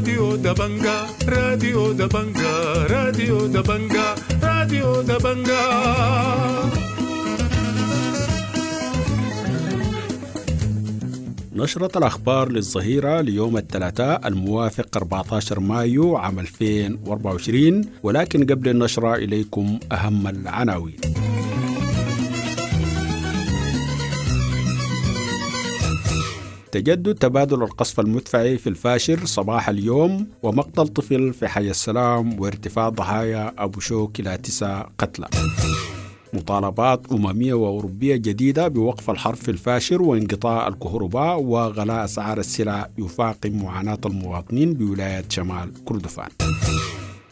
راديو دبنجا، راديو دبنجا، راديو دبنجا، راديو دبنجا. نشرة الأخبار للظهيرة ليوم الثلاثاء الموافق 14 مايو عام 2024، ولكن قبل النشرة إليكم أهم العناوين. تجدد تبادل القصف المدفعي في الفاشر صباح اليوم، ومقتل طفل في حي السلام، وارتفاع ضحايا أبو شوك إلى 9 قتلى. مطالبات أممية وأوروبية جديدة بوقف الحرب في الفاشر وانقطاع الكهرباء وغلاء أسعار السلع يفاقم معاناة المواطنين بولاية شمال كردفان.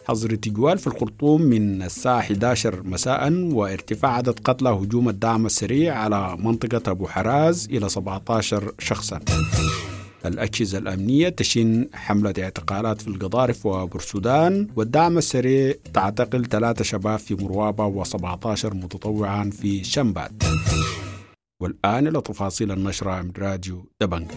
حظر تجوال في الخرطوم من الساعة 11 مساء، وارتفاع عدد قتلى هجوم الدعم السريع على منطقة أبو حراز إلى 17 شخصا. الأجهزة الأمنية تشن حملة اعتقالات في القضارف وبورسودان، والدعم السريع تعتقل 3 شباب في مروابة و17 متطوعا في شمبات. والآن إلى تفاصيل النشرة من راديو دبنجا.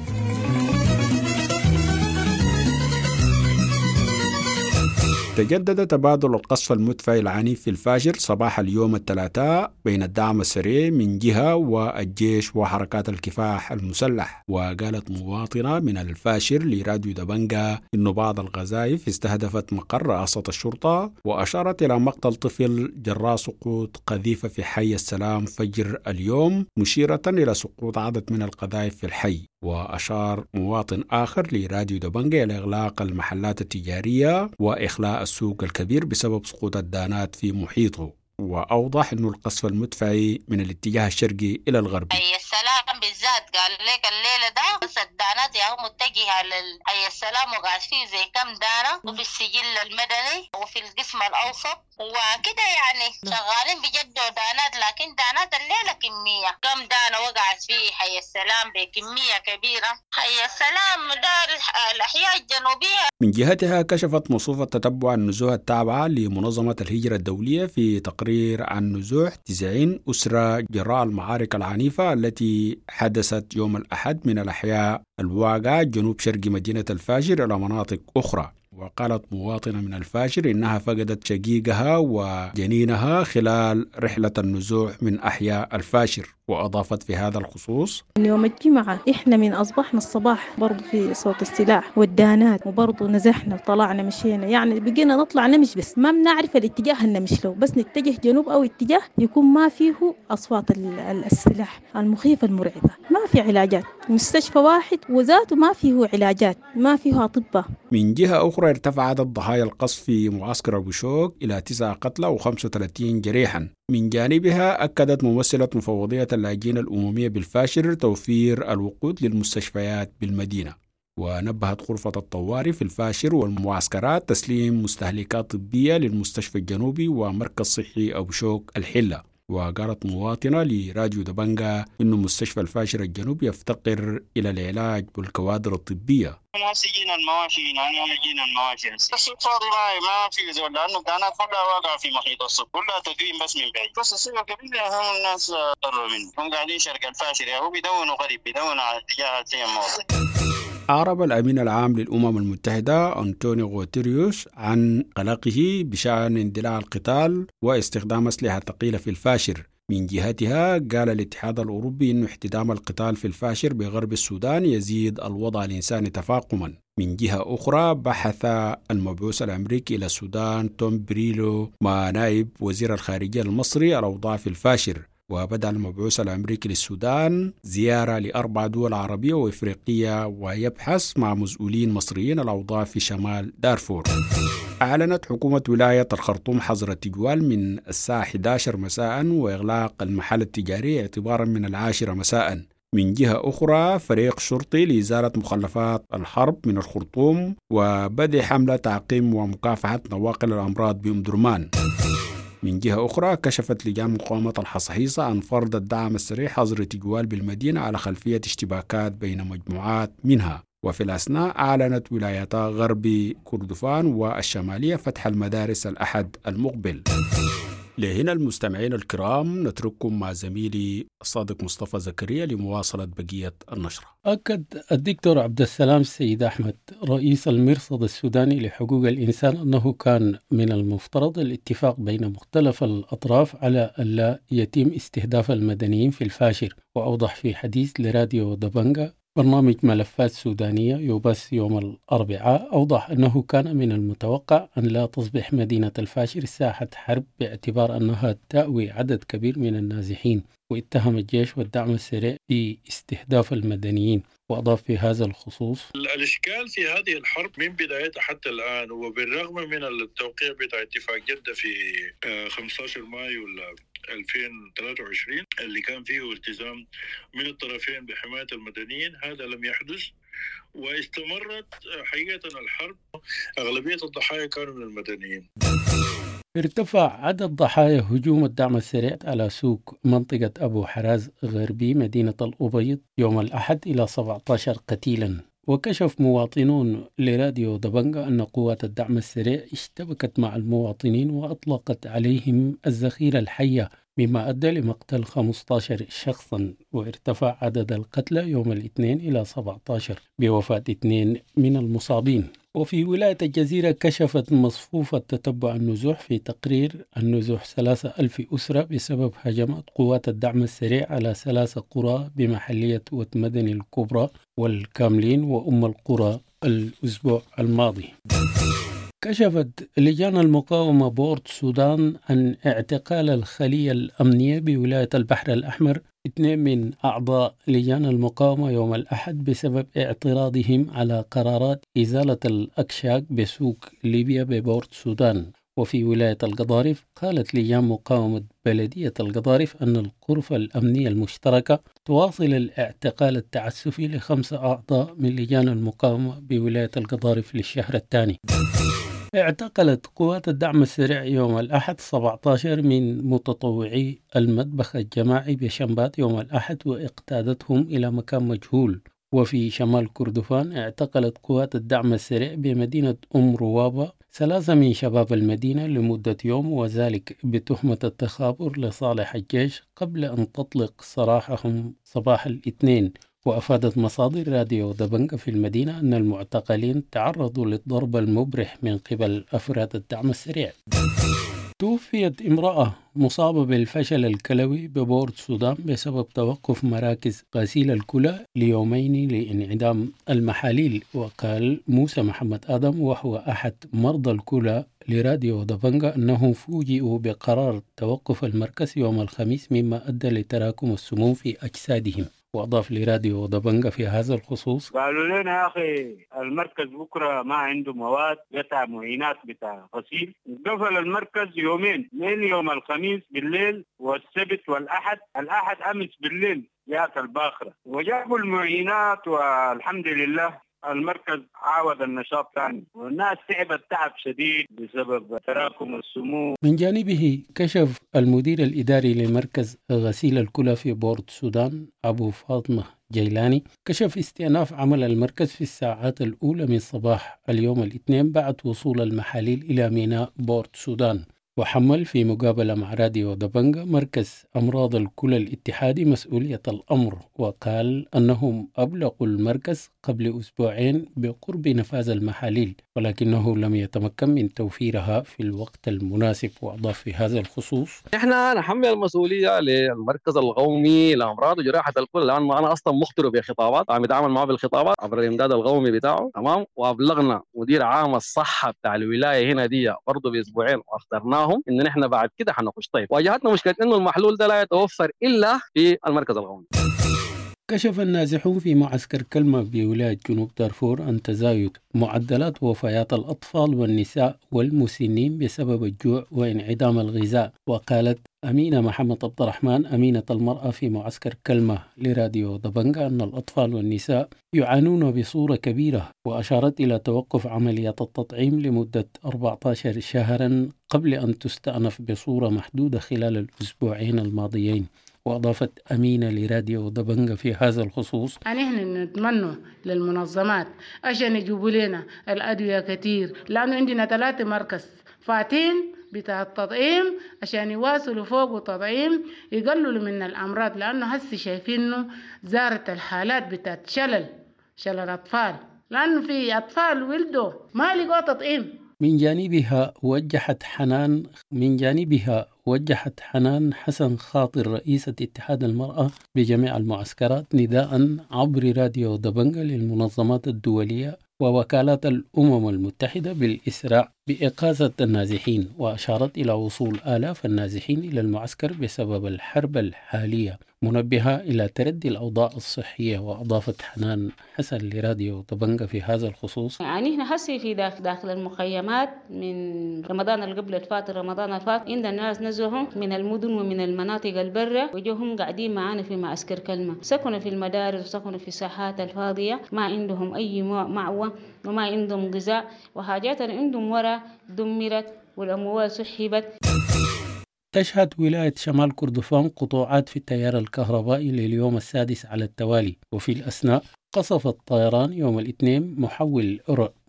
تجدد تبادل القصف المدفعي العنيف في الفاشر صباح اليوم الثلاثاء بين الدعم السريع من جهة والجيش وحركات الكفاح المسلح. وقالت مواطنة من الفاشر لراديو دبنجا إن بعض القذائف استهدفت مقر رئاسة الشرطة، وأشارت إلى مقتل طفل جراء سقوط قذيفة في حي السلام فجر اليوم، مشيرة إلى سقوط عدد من القذائف في الحي. وأشار مواطن آخر لراديو دبنجا إلى إغلاق المحلات التجارية وإخلاء السوق الكبير بسبب سقوط الدانات في محيطه، وأوضح أنه القصف المدفعي من الاتجاه الشرقي إلى الغربي. حي السلام بالذات قال لك الليلة ده بس الدانات يا هو متجهة لحي السلام، وقاعد فيه زي كم دانة، وفي السجل المدني وفي القسم الأوسط وكده، يعني شغالين بجدوا دانات، لكن دانات الليلة كمية كم دانة وقعت في حي السلام بكمية كبيرة. حي السلام دار الأحياء الجنوبية. من جهتها كشفت مصوفة تتبع النزوح التابعة لمنظمة الهجرة الدولية في تقرير عن نزوح 90 أسرة جراء المعارك العنيفة التي حدثت يوم الأحد من الأحياء الواقعة جنوب شرق مدينة الفاشر إلى مناطق أخرى. وقالت مواطنة من الفاشر إنها فقدت شقيقها وجنينها خلال رحلة النزوح من أحياء الفاشر، وأضافت في هذا الخصوص: يوم الجمعة إحنا من أصبحنا الصباح برضو في صوت السلاح والدانات، وبرضو نزحنا وطلعنا مشينا، يعني بقينا نطلع نمشي بس ما بنعرف الاتجاه اللي نمشي له، بس نتجه جنوب أو اتجاه يكون ما فيه أصوات السلاح المخيفة المرعبة. ما في علاجات، مستشفى واحد وذاته ما فيه علاجات، ما فيه أطباء. من جهة أخرى ارتفع عدد ضحايا القصف في معسكر أبو شوك إلى 9 قتلى و35 جريحا. من جانبها أكدت ممثلة مفوضية اللاجئين الأممية بالفاشر توفير الوقود للمستشفيات بالمدينة. ونبهت غرفة الطوارئ في الفاشر والمعسكرات تسليم مستهلكات طبية للمستشفى الجنوبي ومركز صحي أبو شوك الحلة. وقالت مواطنة لراديو دبنجا إنه مستشفى الفاشر الجنوبي يفتقر إلى العلاج والكوادر الطبية. جينا المواشي جينا المواشي السوق فاضي، ما في زول، لأنه الدانات كلها واقعة في محيط السوق، كلها تدوين بس من بعيد، بس السوق الكبير هم الناس ضروا منه، هم قاعدين شرق الفاشر هو بيدونوا غريب، بيدونوا على اتجاه الموضوع. أعرب الأمين العام للأمم المتحدة أنطونيو غوتيريوس عن قلقه بشأن اندلاع القتال واستخدام أسلحة ثقيلة في الفاشر. من جهتها قال الاتحاد الأوروبي أن احتدام القتال في الفاشر بغرب السودان يزيد الوضع الإنساني تفاقما. من جهة أخرى بحث المبعوث الأمريكي إلى السودان توم بريلو مع نائب وزير الخارجية المصري الأوضاع في الفاشر. وبدأ المبعوث الأمريكي للسودان زيارة ل4 دول عربية وإفريقية ويبحث مع مسؤولين مصريين الأوضاع في شمال دارفور. أعلنت حكومة ولاية الخرطوم حظر التجوال من الساعة 11 مساء وإغلاق المحل التجاري اعتبارا من 10 مساء. من جهة أخرى فريق شرطي لإزالة مخلفات الحرب من الخرطوم وبدء حملة تعقيم ومكافحة نواقل الأمراض بأم درمان. من جهة أخرى كشفت لجان مقاومة الحصحيصة عن فرض الدعم السريع حظر تجوال بالمدينة على خلفية اشتباكات بين مجموعات منها. وفي الأثناء أعلنت ولايتا غرب كردفان والشمالية فتح المدارس الأحد المقبل. لهنا المستمعين الكرام نترككم مع زميلي الصادق مصطفى زكريا لمواصلة بقية النشرة. أكد الدكتور عبد السلام سيد أحمد رئيس المرصد السوداني لحقوق الإنسان أنه كان من المفترض الاتفاق بين مختلف الأطراف على ألا يتم استهداف المدنيين في الفاشر. وأوضح في حديث لراديو دبنجا برنامج ملفات سودانية يبث يوم الأربعاء، أوضح أنه كان من المتوقع أن لا تصبح مدينة الفاشر ساحة حرب باعتبار أنها تأوي عدد كبير من النازحين، واتهم الجيش والدعم السريع باستهداف المدنيين. وأضاف في هذا الخصوص: الإشكال في هذه الحرب من بدايتها حتى الآن، وبالرغم من التوقيع بتاع اتفاق جدة في 15 مايو 2023 اللي كان فيه التزام من الطرفين بحماية المدنيين، هذا لم يحدث واستمرت حقيقة الحرب. أغلبية الضحايا كانوا من المدنيين. ارتفع عدد ضحايا هجوم الدعم السريع على سوق منطقة أبو حراز غربي مدينة الأبيض يوم الأحد إلى 17 قتيلا. وكشف مواطنون لراديو دبنجا أن قوات الدعم السريع اشتبكت مع المواطنين وأطلقت عليهم الذخيرة الحية، مما أدى لمقتل 15 شخصا، وارتفع عدد القتلى يوم الاثنين إلى 17 بوفاة 2 من المصابين. وفي ولاية الجزيرة كشفت مصفوفة تتبع النزوح في تقرير النزوح 3000 أسرة بسبب هجمات قوات الدعم السريع على 3 قرى بمحلية وتمدني الكبرى والكاملين وأم القرى الأسبوع الماضي. كشفت لجان المقاومة بورت سودان عن اعتقال الخلية الأمنية بولاية البحر الأحمر 2 من أعضاء لجان المقاومة يوم الأحد بسبب اعتراضهم على قرارات إزالة الأكشاك بسوق ليبيا ببورت سودان. وفي ولاية القضارف قالت لجان مقاومة بلدية القضارف أن الغرفة الأمنية المشتركة تواصل الاعتقال التعسفي ل5 أعضاء من لجان المقاومة بولاية القضارف للشهر الثاني. اعتقلت قوات الدعم السريع يوم الأحد 17 من متطوعي المطبخ الجماعي بشمبات يوم الأحد واقتادتهم إلى مكان مجهول. وفي شمال كردفان اعتقلت قوات الدعم السريع بمدينة أم روابة 3 من شباب المدينة لمدة يوم، وذلك بتهمة التخابر لصالح الجيش قبل أن تطلق سراحهم صباح الاثنين. وأفادت مصادر راديو دبنجا في المدينة أن المعتقلين تعرضوا للضرب المبرح من قبل أفراد الدعم السريع. توفيت امرأة مصابة بالفشل الكلوي ببورت السودان بسبب توقف مراكز غسيل الكلى ليومين لانعدام المحاليل. وقال موسى محمد آدم وهو أحد مرضى الكلى لراديو دبنجا أنه فوجئوا بقرار توقف المركز يوم الخميس مما أدى لتراكم السموم في أجسادهم. وأضاف لراديو دبنجا في هذا الخصوص: قالوا لنا يا أخي المركز بكرة ما عنده مواد بتاع معينات بتاع غسيل، قفل المركز يومين، من يوم الخميس بالليل والسبت والأحد، الأحد أمس بالليل جاءت الباخرة وجابوا المعينات والحمد لله المركز عاود النشاط ثاني، والناس تعبت تعب شديد بسبب تراكم السموم. من جانبه كشف المدير الإداري لمركز غسيل الكلى في بورت السودان أبو فاطمة جيلاني كشف استئناف عمل المركز في الساعات الأولى من صباح اليوم الاثنين بعد وصول المحاليل إلى ميناء بورت السودان. وحمل في مقابلة مع راديو دبنجا مركز أمراض الكلى الاتحادي مسؤولية الأمر، وقال أنهم أبلغوا المركز قبل أسبوعين بقرب نفاذ المحاليل ولكنه لم يتمكن من توفيرها في الوقت المناسب. وأضاف في هذا الخصوص: نحن نحمل المسؤولية للمركز القومي لأمراض وجراحة الكلى، لأنه أنا أصلا مخطر بخطابات، عم يتعامل معه بالخطابات عبر الإمداد القومي بتاعه، تمام. وأبلغنا مدير عام الصحة بتاع الولاية هنا دي برضه بأسبوعين وأخطرناهم إن نحن بعد كده حنخش. طيب واجهتنا مشكلة إنه المحلول ده لا يتوفر إلا في المركز القومي. كشف النازحون في معسكر كلمة بولاية جنوب دارفور عن تزايد معدلات وفيات الأطفال والنساء والمسنين بسبب الجوع وانعدام الغذاء. وقالت أمينة محمد عبد الرحمن أمينة المرأة في معسكر كلمة لراديو دبنجا أن الأطفال والنساء يعانون بصورة كبيرة، وأشارت إلى توقف عملية التطعيم لمدة 14 شهرا قبل أن تستأنف بصورة محدودة خلال الأسبوعين الماضيين. وأضافت أمينة لراديو دبنجا في هذا الخصوص: نحن نتمنى للمنظمات عشان يجيبوا لنا الأدوية كتير، لأنه عندنا 3 مركز فاتين بتاع التطعيم عشان يواصلوا فوق تطعيم يقللوا من الأمراض، لأنه هسي شايفينه زارت الحالات بتاعت شلل أطفال، لأنه في أطفال ولدوا ما لقوا تطعيم. من جانبها وجهت حنان حسن خاطر رئيسة اتحاد المرأة بجميع المعسكرات نداء عبر راديو دبنجة للمنظمات الدولية ووكالات الأمم المتحدة بالإسراع بإغاثة النازحين، وأشارت إلى وصول آلاف النازحين إلى المعسكر بسبب الحرب الحالية، منبهة إلى تردي الأوضاع الصحية. وأضافت حنان حسن لراديو دبنجة في هذا الخصوص: يعني إحنا هسي في داخل المخيمات من رمضان اللي قبل الفات، رمضان الفات عندنا الناس نزلهم من المدن ومن المناطق البرة وجوهم قاعدين معانا في معسكر كلمة، سكنوا في المدارس وسكنوا في الساحات الفاضية، ما عندهم أي مأوى وما عندهم غذاء وحاجات عندهم ورا دمرت والأموال سحبت. تشهد ولاية شمال كردفان قطوعات في التيار الكهربائي لليوم السادس على التوالي، وفي الأثناء قصف الطيران يوم الاثنين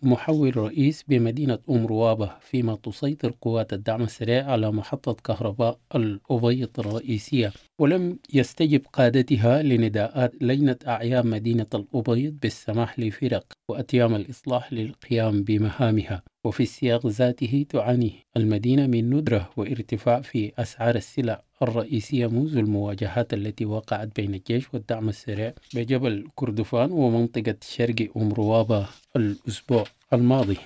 محول رئيس بمدينة أم روابة، فيما تسيطر قوات الدعم السريع على محطة كهرباء الأبيض الرئيسية، ولم يستجب قادتها لنداءات لجنة أعيان مدينة الأبيض بالسماح لفرق وأتيام الإصلاح للقيام بمهامها. وفي السياق ذاته تعاني المدينة من ندرة وارتفاع في أسعار السلع الرئيسية منذ المواجهات التي وقعت بين الجيش والدعم السريع بجبل كردفان ومنطقة شرق أم روابة الأسبوع الماضي.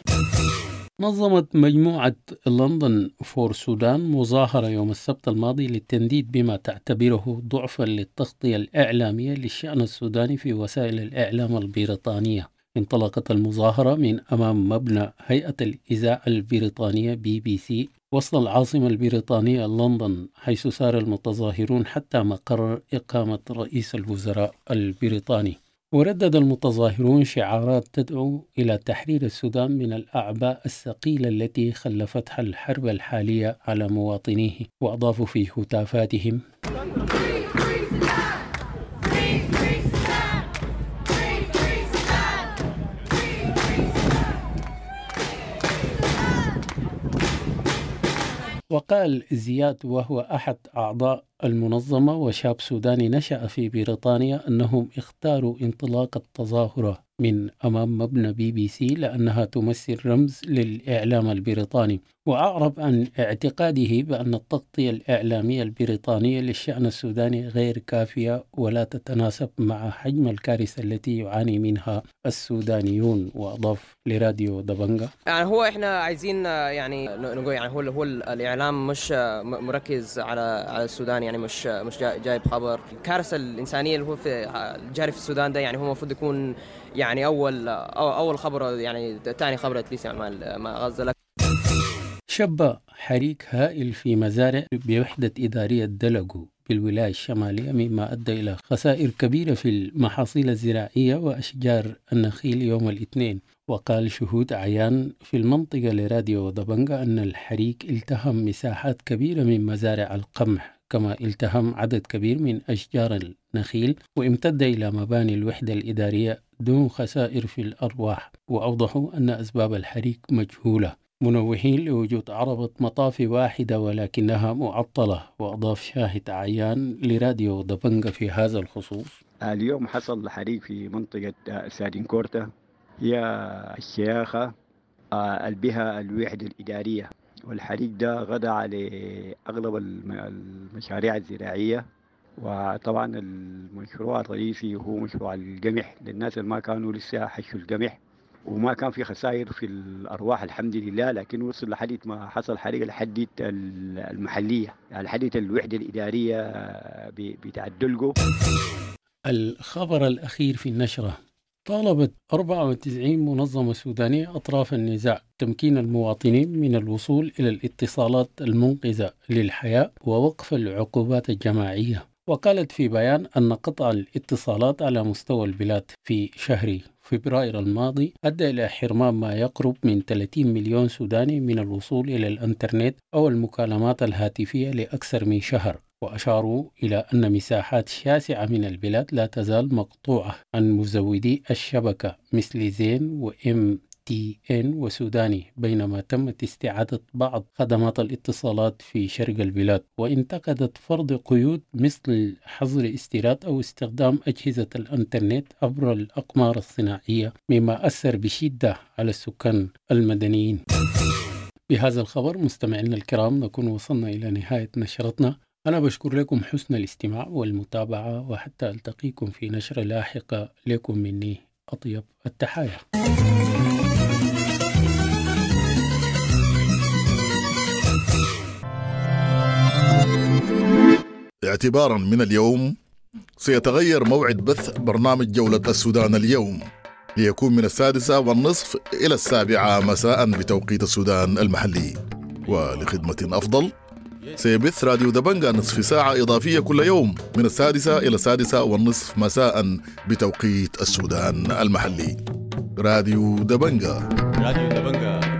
نظمت مجموعة لندن فور سودان مظاهرة يوم السبت الماضي للتنديد بما تعتبره ضعفا للتغطية الإعلامية للشأن السوداني في وسائل الإعلام البريطانية. انطلقت المظاهرة من أمام مبنى هيئة الإذاعة البريطانية BBC وسط العاصمة البريطانية لندن، حيث سار المتظاهرون حتى مقر إقامة رئيس الوزراء البريطاني. وردد المتظاهرون شعارات تدعو إلى تحرير السودان من الأعباء الثقيلة التي خلفتها الحرب الحالية على مواطنيه، وأضافوا في هتافاتهم: وقال زياد وهو أحد أعضاء المنظمة وشاب سوداني نشأ في بريطانيا أنهم اختاروا انطلاق التظاهرة من أمام مبنى BBC لأنها تمثل رمز للإعلام البريطاني، وأعرب عن اعتقاده بأن التغطية الإعلامية البريطانية للشأن السوداني غير كافية ولا تتناسب مع حجم الكارثة التي يعاني منها السودانيون. وأضاف لراديو دبنجة: يعني هو إحنا عايزين يعني نقول يعني هو الإعلام مش مركز على السودان، يعني مش جايب خبر الكارثة الإنسانية اللي هو في الجاري في السودان ده، يعني هو المفروض يكون يعني أول خبر، يعني ثاني خبر اتليس يعني مع غزة. شب حريق هائل في مزارع بوحدة إدارية دلقو بالولاية الشمالية، مما أدى إلى خسائر كبيرة في المحاصيل الزراعية وأشجار النخيل يوم الاثنين. وقال شهود عيان في المنطقة لراديو دبنجة أن الحريق التهم مساحات كبيرة من مزارع القمح، كما التهم عدد كبير من أشجار النخيل وامتد إلى مباني الوحدة الإدارية دون خسائر في الأرواح. وأوضحوا أن أسباب الحريق مجهولة، منوهين لوجود عربة مطافي واحدة ولكنها معطلة. وأضاف شاهد عيان لراديو دبنجة في هذا الخصوص: اليوم حصل حريق في منطقة سادنكورتا، هي الشياخة بها الوحدة الإدارية، والحريق ده غدا على أغلب المشاريع الزراعية، وطبعا المشروع الرئيسي هو مشروع القمح للناس اللي ما كانوا لسه حشوا القمح، وما كان في خسائر في الأرواح الحمد لله، لكن وصل لحد ما حصل حريق لحد المحلية، يعني لحد الوحدة الإدارية بتاع الدلقو. الخبر الأخير في النشرة: طالبت 94 منظمة سودانية أطراف النزاع تمكين المواطنين من الوصول إلى الاتصالات المنقذة للحياة ووقف العقوبات الجماعية. وقالت في بيان أن قطع الاتصالات على مستوى البلاد في شهر فبراير الماضي أدى إلى حرمان ما يقرب من 30 مليون سوداني من الوصول إلى الإنترنت أو المكالمات الهاتفية لأكثر من شهر. وأشاروا إلى أن مساحات شاسعة من البلاد لا تزال مقطوعة عن مزودي الشبكة مثل زين وإم تي إن وسوداني، بينما تمت استعادة بعض خدمات الاتصالات في شرق البلاد. وانتقدت فرض قيود مثل حظر استيراد أو استخدام أجهزة الإنترنت عبر الأقمار الصناعية، مما أثر بشدة على السكان المدنيين. بهذا الخبر مستمعينا الكرام نكون وصلنا إلى نهاية نشرتنا. أنا بشكر لكم حسن الاستماع والمتابعة، وحتى ألتقيكم في نشرة لاحقة، لكم مني أطيب التحايا. اعتبارا من اليوم سيتغير موعد بث برنامج جولة السودان اليوم ليكون من 6:30 إلى 7 مساء بتوقيت السودان المحلي. ولخدمة أفضل سيبث راديو دبنجا نصف ساعة إضافية كل يوم من 6 إلى 6:30 مساء بتوقيت السودان المحلي. راديو دبنجا، راديو دبنجا.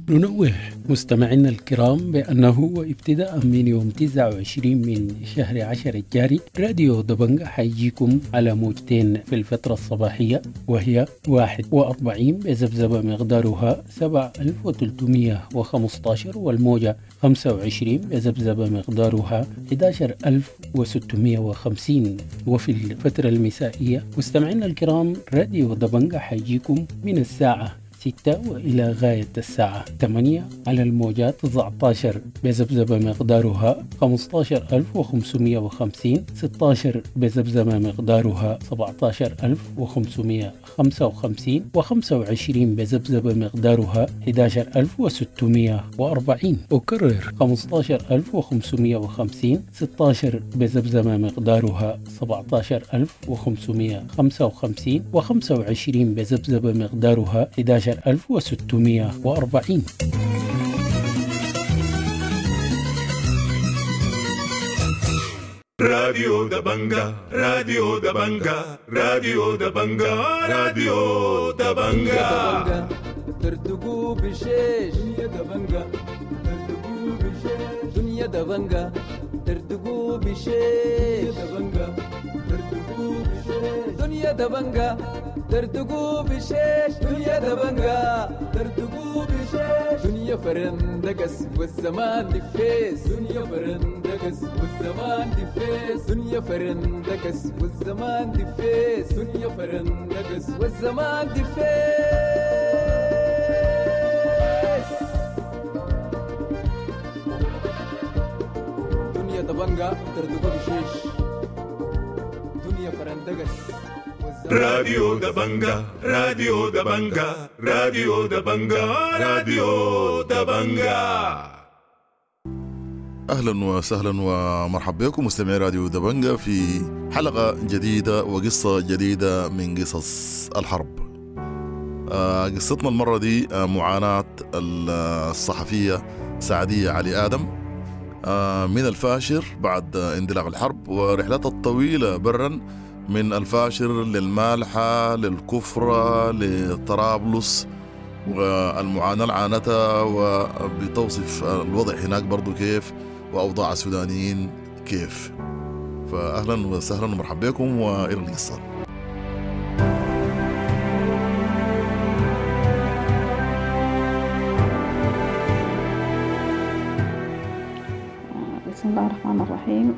ننوه مستمعينا الكرام بأنه وابتداء من يوم 29 من شهر 10 الجاري راديو دبنجا حيجيكم على موجتين في الفترة الصباحية، وهي 41 بذبذبة مقدارها 7315، والموجة 25 بذبذبة مقدارها 11650. وفي الفترة المسائية مستمعينا الكرام راديو دبنجا حيجيكم من الساعة 6 وإلى غاية الساعة 8 على الموجات 19 بذبذبة مقدارها 15550، 16 بذبذبة مقدارها 17555، و25 بذبذبة مقدارها 11640. أكرر 15550، 16 بذبذبة مقدارها 17555، و25 بذبذبة مقدارها 11640. راديو دبنجا، راديو دبنجا، راديو دبنجا، راديو دبنجا. تردقوا بشيش دنيا دبنجا، تردقوا بشيش دنيا دبنجا، تردقوا بشيش دبنجا، تردقوا بشيش دنيا دبنجا، تردقوا بشيش دنيا دبنجا، تردقوا بشيش دنيا فرندقس والزمان دفيس، دنيا فرندقس والزمان دفيس، دنيا فرندقس والزمان دفيس، دنيا فرندقس والزمان دفيس. دنيا دبنجا تردقوا بشيش دنيا فرندقس. راديو دبنجا، راديو دبنجا، راديو دبنجا، راديو دبنجا. أهلا وسهلا ومرحبا بكم مستمعي راديو دبنجا في حلقة جديدة وقصة جديدة من قصص الحرب. قصتنا المرة دي معاناة الصحفية سعدية علي آدم من الفاشر بعد اندلاع الحرب ورحلتها الطويلة برا من الفاشر للمالحة للكفرة لطرابلس، والمعاناة اللي عانتها، وبتوصف الوضع هناك برضو كيف وأوضاع السودانيين كيف. فأهلا وسهلا ومرحبا بكم وإلى القصة. بسم الله الرحمن الرحيم.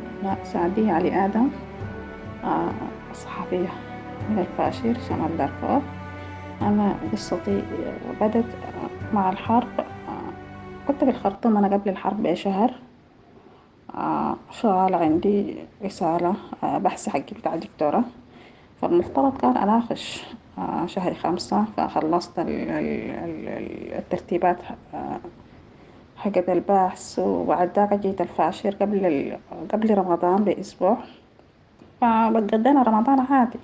سعدية علي آدم، صحفية من الفاشر شمال دارفور. أنا قصتي بدت مع الحرب. كنت في الخرطوم أنا قبل الحرب بشهر، شغالة عندي رسالة بحث حقي بتاع دكتورة، فالمفترض كان أناقش شهر 5، فخلصت الترتيبات حقت البحث، وبعد ذاك جيت الفاشر قبل رمضان بأسبوع. فقضينا رمضان عادي.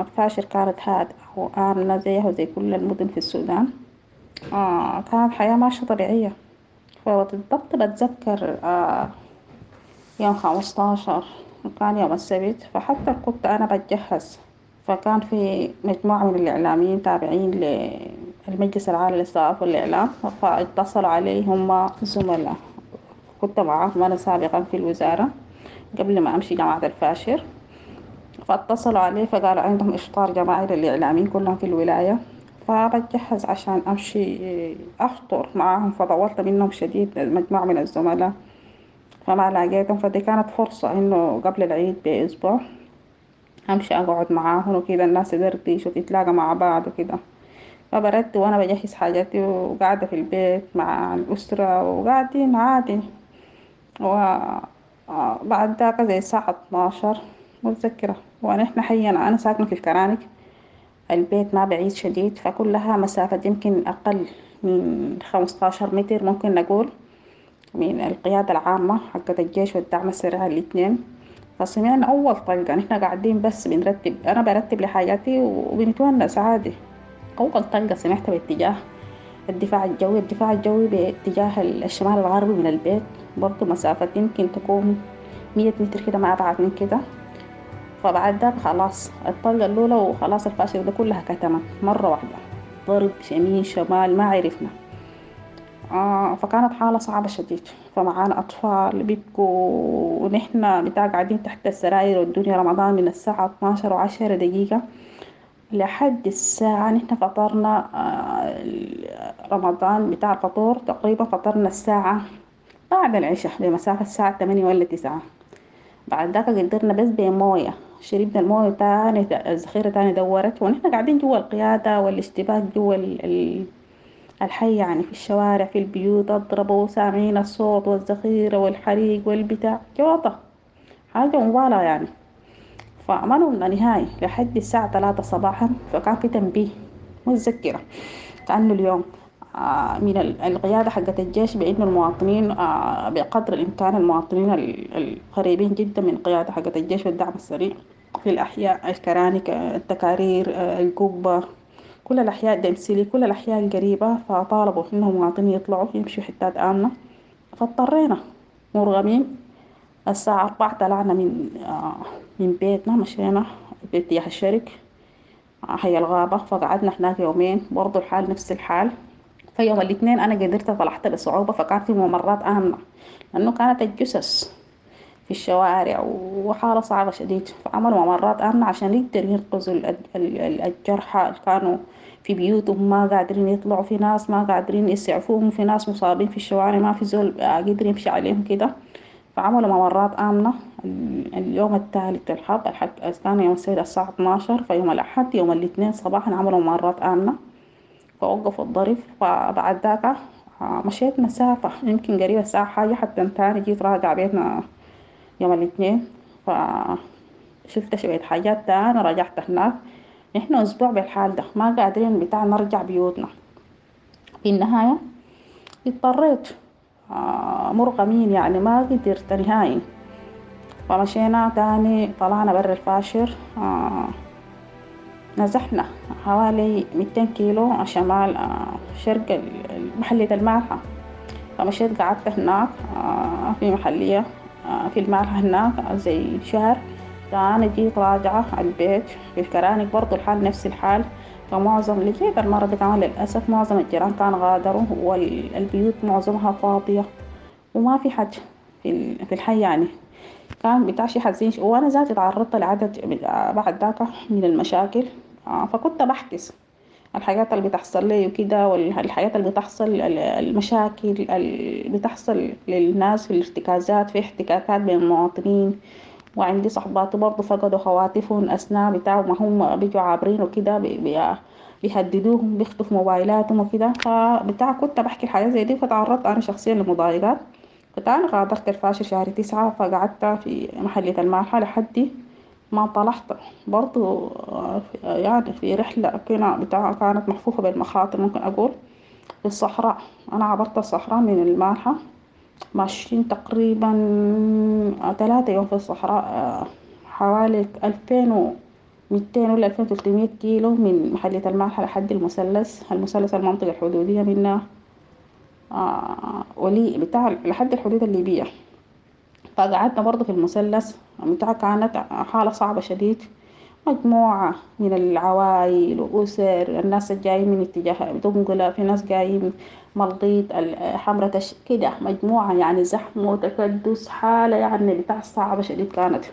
الفاشر كانت هادئة وآمنة زيها وزي كل المدن في السودان. كانت حياة ماشية طبيعية. فبالضبط بتذكر يوم 15 كان يوم السبت، فحتى كنت أنا بتجهز، فكان في مجموعة من الإعلاميين تابعين للمجلس العالي للصحافة والإعلام، فاتصلوا علي هم زملاء كنت معاهم أنا سابقا في الوزارة قبل ما أمشي جامعة الفاشر. فاتصلوا عليه فقالوا عندهم إفطار جماعي للإعلاميين كلهم في الولاية. فبتجهز عشان أمشي أفطر معاهم، فطولت منهم شديد مجموعة من الزملاء فما لاقيتهم. فدي كانت فرصة إنه قبل العيد بأسبوع أمشي أقعد معاهم وكده، الناس تدردش وتتلاقى مع بعض وكده. فبردت وأنا بجهز حاجاتي وقاعدة في البيت مع الأسرة وقاعدين عادي. وبعد ذاك زي الساعة 12 متذكرة، ونحن حينا أنا ساكنة في الكرانك، البيت ما بعيد شديد، فكلها مسافة يمكن أقل من 15 متر ممكن نقول من القيادة العامة حقت الجيش والدعم السريع الاثنين. فسمعنا أول طلقة، نحن قاعدين بس بنرتب، أنا برتب لحاجاتي وبنتونس عادي. أول طلقة سمعتها باتجاه الدفاع الجوي، الدفاع الجوي باتجاه الشمال الغربي من البيت، برضو مسافة يمكن تكون 100 متر كده ما أبعد من كده. فبعد ذاك خلاص الطلقة الأولى وخلاص الفاشل ده كلها كتمت مرة واحدة، ضرب يمين شمال ما عرفنا. فكانت حالة صعبة شديد. فمعانا أطفال بيبكوا ونحن بتاع قاعدين تحت السراير، والدنيا رمضان من الساعة 12:10 لحد الساعة نحن فطرنا رمضان بتاع الفطور تقريبا، فطرنا الساعة بعد العشاء بمسافة الساعة 8 ولا 9. بعد ذاك قدرنا بس بموية، شربنا الموية تاني، الذخيرة تاني دورت، ونحن قاعدين جوا القيادة والاشتباك جوا الحي يعني، في الشوارع في البيوت اضربوا، سامعين الصوت والذخيرة والحريق والبتاع، جوطة حاجة مبالغة يعني. فما نمنا نهائي لحد الساعة 3 صباحا. فكان في تنبيه متذكرة كأنه اليوم من القيادة حقت الجيش بأنه المواطنين بقدر الإمكان المواطنين القريبين جدا من القيادة حقت الجيش والدعم السريع في الأحياء الكرانك التكارير القبة كل الأحياء دمسلي كل الأحياء القريبة، فطالبوا إنهم المواطنين يطلعوا يمشوا حتات آمنة. فاضطرينا مرغمين الساعة 4 طلعنا من بيتنا، مشينا باتجاه الشرق حي الغابة. فقعدنا هناك يومين برضو الحال نفس الحال. فيوم الاثنين أنا قدرت طلعت بصعوبة، فكان في ممرات آمنة لأنه كانت الجثث في الشوارع وحالة صعبة شديد، فعملوا ممرات آمنة عشان يقدروا ينقذوا الجرحى اللي كانوا في بيوتهم ما قادرين يطلعوا، في ناس ما قادرين يسعفوهم، في ناس مصابين في الشوارع ما في زول قدر يمشي عليهم كده. فعملوا ممرات آمنة. اليوم الثالث الحرب كان يوم السبت الساعة 12، فيوم الأحد يوم الاثنين صباحا عملوا ممرات آمنة فوقفوا الضرب. فبعد ذاك مشيت مسافة يمكن قريبة الساعة حاجة حتى تاني جيت راجع بيتنا يوم الاثنين، فشلت شوية حاجات تاني رجعت هناك. نحن أسبوع بالحال ده ما قادرين بتاع نرجع بيوتنا. في النهاية اضطريت مرغمين يعني ما قدرت نهائي. فمشينا تاني طلعنا برا الفاشر، نزحنا حوالي 200 كيلو شمال شرق محلية المالحة. فمشيت قعدت هناك في محلية في المالحة هناك زي شهر. تاني جيت راجعة على البيت في الكرانك برضو الحال نفس الحال. فمعظم اللي جيت المرة دي كمان للأسف معظم الجيران كان غادروا والبيوت معظمها فاضية وما في حد في الحي يعني، كان بتاع شي حزين. وأنا ذاتي تعرضت لعدد بعد ذاك من المشاكل، فكنت بحكس الحاجات اللي بتحصل لي وكده، والحاجات اللي بتحصل المشاكل اللي بتحصل للناس في الارتكازات، في احتكاكات بين المواطنين. وعندي صحباتي برضو فقدوا خواتفهم أثناء بتاع ما هم بيجوا عابرين وكده، بيهددوهم بيخطفوا موبايلاتهم وكده. فبتاع كنت بحكي الحاجات زي دي، فتعرضت أنا شخصيا لمضايقات. فتاني غادرت الفاشر شهر 9، فقعدت في محلية المالحة لحد ما طلعت برضو يعني في رحلة كنا بتاع كانت محفوفة بالمخاطر ممكن أقول في الصحراء. أنا عبرت الصحراء من المالحة ماشيين تقريبا 3 يوم في الصحراء، حوالي 2200 ولا 2300 كيلو من محلية المالحة لحد المثلث، المثلث المنطقة الحدودية منها ولي بتاع لحد الحدود الليبية. فقعدنا برضو في المثلث بتاع كانت حالة صعبة شديد، مجموعة من العوائل وأسر، الناس الجايين من اتجاه دنقلة، في ناس جايين مليط، حمرة كده مجموعة يعني زحمة وتكدس، حالة يعني بتاع صعبة شديد كانت.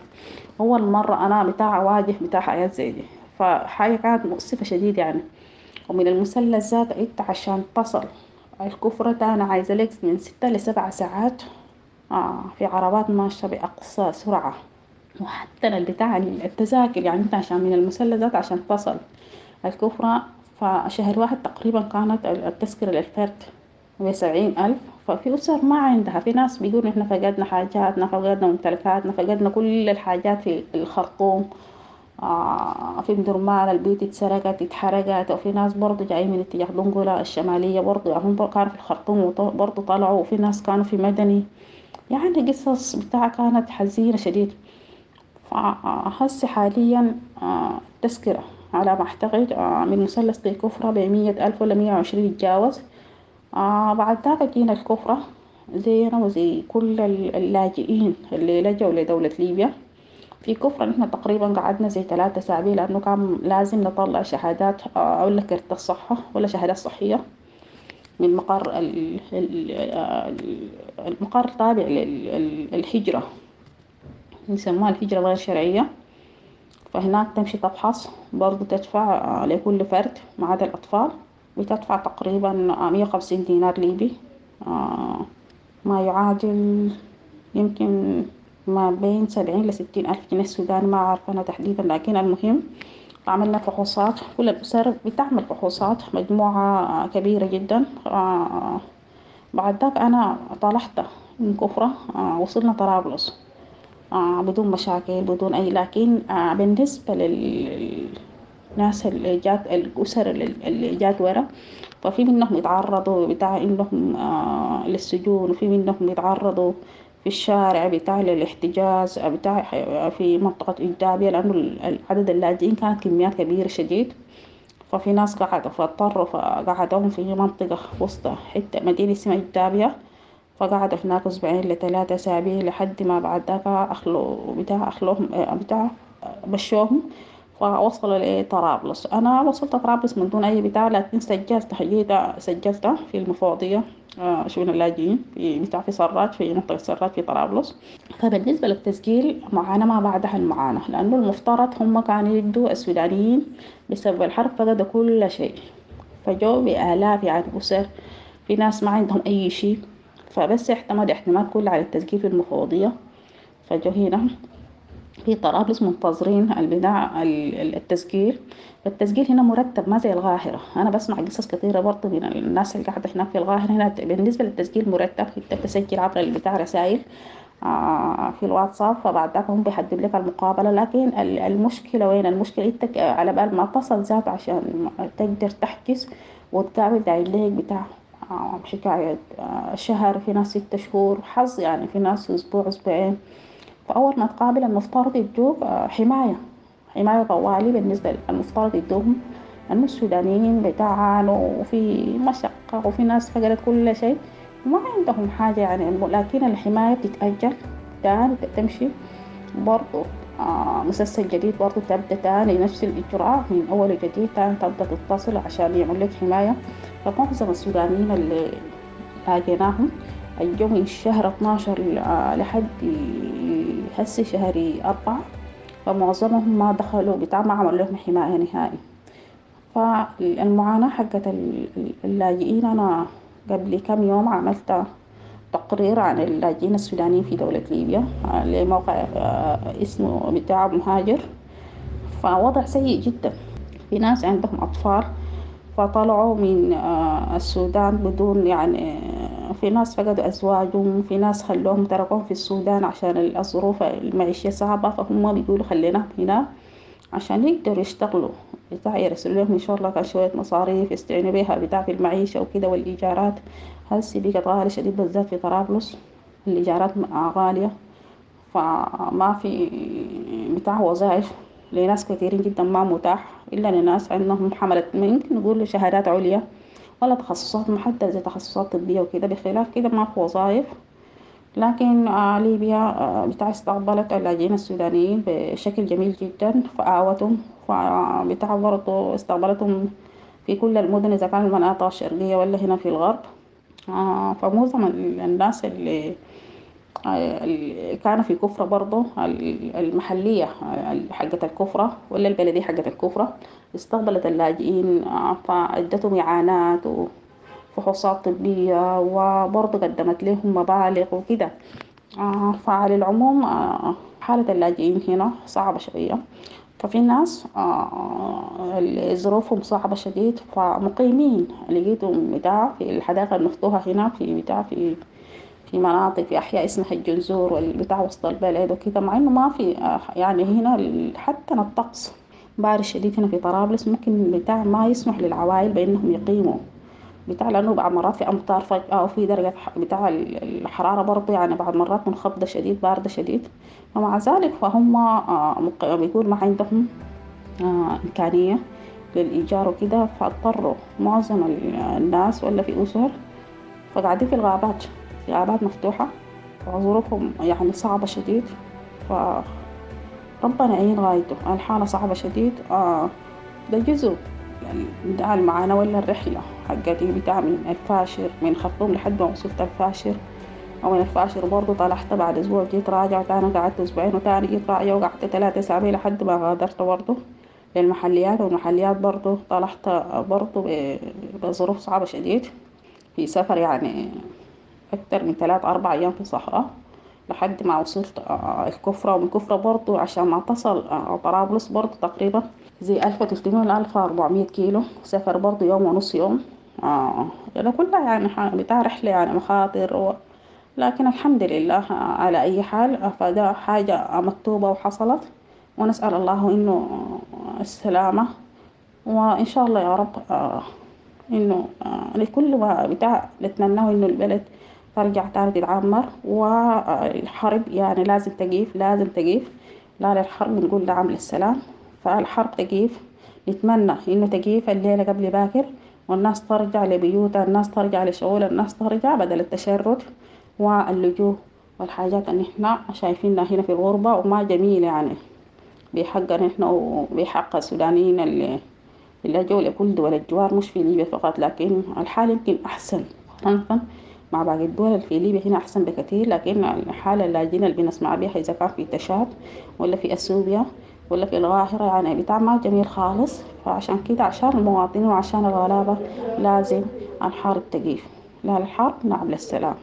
أول مرة أنا بتاع أواجه بتاع حياة زي دي، فحاجة كانت مؤسفة شديد يعني. ومن المثلث ذات انت عشان تصل الكفرة تاني عايزة لك من 6 ل7 ساعات، في عربات ماشية بأقصى سرعة. وحتى البتاع التذاكر يعني انت عشان من المثلث ذات عشان تصل الكفرة فشهر واحد تقريبا كانت التذكرة للفرد ب70,000. ففي أسر ما عندها، في ناس بيقولوا إحنا فقدنا حاجاتنا، فقدنا ممتلكاتنا، فقدنا كل الحاجات في الخرطوم، في مدرمان البيوت اتسرقت اتحرقت. وفي ناس برضو جايين من اتجاه دنقلة الشمالية برضو، يعني هم كانوا في الخرطوم برضو طلعوا، وفي ناس كانوا في مدني، يعني قصص بتاع كانت حزينة شديد. فهسي حاليا التذكرة على ما أعتقد من مثلث للكفرة ب100,000 ولا 120 يتجاوز. بعد ذاك جينا الكفرة زينا وزي كل اللاجئين اللي لجوا لدولة ليبيا. في كفرة نحن تقريبا قعدنا زي 3 أسابيع، لأنه كان لازم نطلع شهادات، ولا كرت الصحة ولا شهادات صحية من مقر المقر تابع للهجرة، يسموها الهجرة غير شرعية. فهناك تمشي تفحص برضو، تدفع لكل فرد ما عدا الأطفال، بتدفع تقريبا 150 دينار ليبي، ما يعادل يمكن ما بين 70 لستين ألف جنيه السوداني، ما عارفة أنا تحديدا. لكن المهم عملنا فحوصات، كل الأسر بتعمل فحوصات، مجموعة كبيرة جدا. بعد ذاك أنا طلعت من كفرة، وصلنا طرابلس، بدون مشاكل بدون أي، لكن بالنسبة للناس اللي جات، الأسر اللي جات ورا، ففي منهم يتعرضوا بتاع إنهم للسجون، وفي منهم يتعرضوا في الشارع بتاع للاحتجاز بتاع في منطقة إجدابية، لأنه عدد اللاجئين كانت كميات كبيرة شديد. ففي ناس قعدوا فاضطروا فقعدوهم في منطقة وسط حتة مدينة اسمها إجدابية، فقعدوا هناك أسبوعين لثلاثة أسابيع لحد ما بعد ذاك أخلوا بتاع أخلوهم بتاع مشوهم، فوصلوا لطرابلس. أنا وصلت طرابلس من دون أي بتاع، لكن سجلت جيت سجلت في المفوضية، شؤون اللاجئين في بتاع في سراج، في منطقة سراج في طرابلس. فبالنسبة للتسجيل معاناة ما بعدها المعاناة، لأنه المفترض هم كانوا يدوا السودانيين بسبب الحرب فقدوا كل شيء، فجوا بآلاف يعني أسر، في ناس ما عندهم أي شيء، فبس اعتمد اعتماد كله على التسجيل في المفوضية. فجوا هنا في طرابلس منتظرين البناء التسجيل. فالتسجيل هنا مرتب ما زي القاهرة، أنا بسمع قصص كثيرة برضه من الناس اللي قاعدة هناك في القاهرة. هنا بالنسبة للتسجيل مرتب، أنت بتسجل عبر البتاع رسائل في الواتساب، فبعد ذاك هم بيحددوا لك المقابلة. لكن المشكلة وين؟ المشكلة أنت على بال ما تصل ذات عشان تقدر تحجز وتقابل داير لك بتاع حكاية شهر، في ناس 6 شهور حظ يعني، في ناس أسبوع أسبوعين. فأول ما تقابل المفترض يدوك حماية طوالي. بالنسبة للمفترض يدوهم، لأنه السودانيين بتعانوا وفي مشقة وفي ناس فقدت كل شيء وما عندهم حاجة يعني، لكن الحماية بتتأجل تاني، تمشي برضو مسلسل جديد برضو تبدأ تاني نفس الإجراء من أول وجديد، تاني تبدأ تتصل عشان يعمل لك حماية. فمعظم السودانيين اللي لاقيناهم اليوم من شهر 12 لحد هسي شهر 4، فمعظمهم ما دخلوا بتاع، ما عملوا لهم حماية نهائي. فالمعاناة حقت اللاجئين، أنا قبل كم يوم عملت تقرير عن اللاجئين السودانيين في دولة ليبيا لموقع اسمه بتاع مهاجر. فوضع سيء جدا، في ناس عندهم أطفال فطلعوا من السودان بدون يعني، في ناس فقدوا أزواجهم، في ناس خلوهم تركوهم في السودان عشان الظروف المعيشية صعبة، فهم بيقولوا خليناهم هنا عشان يقدروا يشتغلوا بتاع، يرسلوا لهم إن شاء الله كان شوية مصاريف يستعينوا بيها بتاع في المعيشة وكده. والإيجارات هسي بقت غالية شديد، بالذات في طرابلس الإيجارات غالية، فما في بتاع وظائف لناس كثيرين جدا، ما متاح إلا لناس عندهم حملة ممكن نقول شهادات عليا ولا تخصصات محددة زي تخصصات طبية وكده، بخلاف كده ما في وظائف. لكن ليبيا بتاع استقبلت اللاجئين السودانيين بشكل جميل جدا، فآوتهم، فبتاع برضو استقبلتهم في كل المدن إذا كان المناطق الشرقية ولا هنا في الغرب. فمعظم الناس اللي كانوا في كفرة برضو المحلية حقت الكفرة ولا البلدية حقت الكفرة استقبلت اللاجئين، فأدتهم إعانات وفحوصات طبية وبرضو قدمت لهم مبالغ وكده. فعلى العموم حالة اللاجئين هنا صعبة شوية، ففي ناس اللي ظروفهم صعبة شديد فمقيمين لقيتهم بتاع في الحدائق المفتوحة هنا في بتاع في في مناطق في أحياء اسمها الجنزور والبتاع وسط البلد وكده، مع إنه ما في يعني هنا حتى الطقس بارد شديد هنا في طرابلس، ممكن بتاع ما يسمح للعوائل بإنهم يقيموا بتاع، لأنه بعض مرات في أمطار فجأة وفي درجة بتاع الحرارة برضه يعني بعض مرات منخفضة شديد باردة شديد، ومع ذلك فهم بيقول ما عندهم إمكانية للإيجار وكده، فاضطروا معظم الناس ولا في أسر فقاعدين في الغابات، في غابات مفتوحة وظروفهم يعني صعبة شديد، فربنا يعين غايته، الحالة صعبة شديد. ده جزء بتاع المعاناة ولا الرحلة حقتي بتاع من الفاشر من خرطوم لحد ما وصلت الفاشر، ومن الفاشر برضو طلعت بعد أسبوع جيت راجعة وتاني قعدت أسبوعين وتاني جيت راجعة وقعدت 3 أسابيع لحد ما غادرت برضو للمحليات، والمحليات برضو طلعت برضو بظروف صعبة شديد في سفر يعني أكتر من 3-4 أيام في الصحراء لحد ما وصلت الكفرة، ومن الكفرة برضو عشان ما تصل طرابلس برضو تقريبا زي 1300 ل 1400 كيلو سفر برضو يوم ونص يوم. ده كلها يعني بتاع رحلة يعني مخاطر لكن الحمد لله على أي حال، فده حاجة مكتوبة وحصلت، ونسأل الله إنه السلامة، وإن شاء الله يا رب إنه لكل ما بتاع نتمناه إنه البلد ترجع تاني تتعمر، والحرب يعني لازم تقيف، لازم تقيف، لا للحرب نقول دعم للسلام، فالحرب تقيف، نتمنى إنه تقيف الليلة قبل باكر، والناس ترجع لبيوتها، الناس ترجع لشغلها، الناس ترجع بدل التشرد واللجوء والحاجات اللي احنا شايفينها هنا في الغربة وما جميل يعني بحقنا احنا وبحق السودانيين اللي لجوا لكل دول الجوار، مش في ليبيا فقط، لكن الحال يمكن أحسن مقارنة مع باقي الدول. في ليبيا هنا أحسن بكثير، لكن الحالة اللاجئين اللي بنسمع بها إذا كان في تشاد ولا في أثيوبيا ولا في القاهرة يعني بتاع ما جميل خالص. فعشان كده عشان المواطنين وعشان الغلابة لازم الحرب تقيف، لا للحرب نعم للسلام.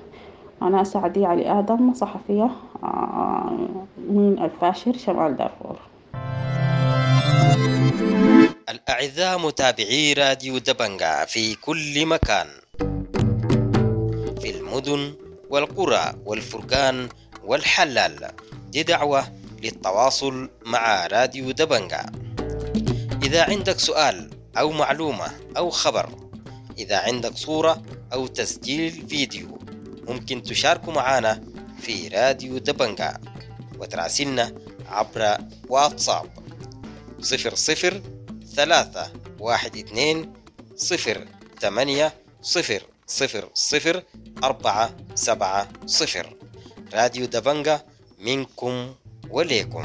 أنا سعدية علي آدم، صحفية من الفاشر شمال دارفور. الأعزاء متابعي راديو دبنجا في كل مكان، في المدن والقرى والفرقان والحلال، دي دعوة للتواصل مع راديو دبنجا. إذا عندك سؤال أو معلومة أو خبر، إذا عندك صورة أو تسجيل فيديو، ممكن تشاركوا معنا في راديو دبنجا وتراسلنا عبر واتساب 00 3 1 2 0 8 0 0 0 4 7 0. راديو دبنجا منكم وليكم.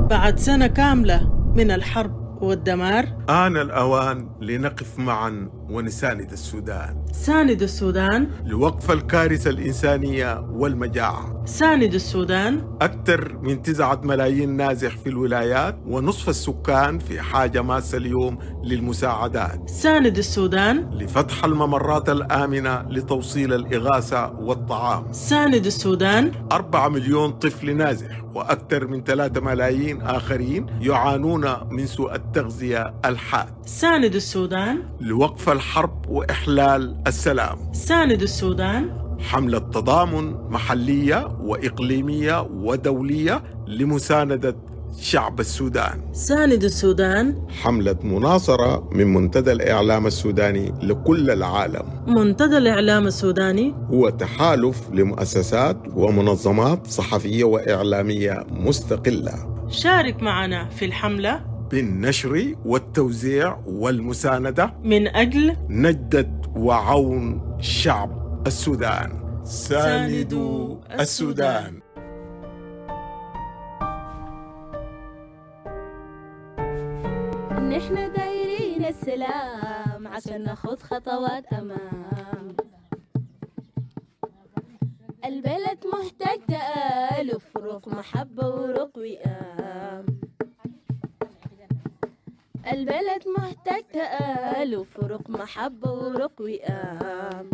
بعد سنة كاملة من الحرب والدمار، آن الأوان لنقف معا ونساند السودان. ساند السودان لوقف الكارثة الإنسانية والمجاعة. ساند السودان. أكثر من 9 ملايين نازح في الولايات، ونصف السكان في حاجة ماسة اليوم للمساعدات. ساند السودان لفتح الممرات الآمنة لتوصيل الإغاثة والطعام. ساند السودان. 4 مليون طفل نازح وأكثر من 3 ملايين آخرين يعانون من سوء التغذية الحاد. ساند السودان لوقف الحرب وإحلال السلام. ساند السودان. حملة تضامن محلية وإقليمية ودولية لمساندة شعب السودان. ساند السودان. حملة مناصرة من منتدى الإعلام السوداني لكل العالم. منتدى الإعلام السوداني هو تحالف لمؤسسات ومنظمات صحفية وإعلامية مستقلة. شارك معنا في الحملة. بالنشر والتوزيع والمساندة من أجل نجدة وعون شعب السودان. ساندوا السودان. نحن دايرين السلام عشان ناخد خطوات أمام. البلد محتاج تآلف، روح محبة وروح وئام. البلد محتاج تآلف، روح محبة وروح وئام.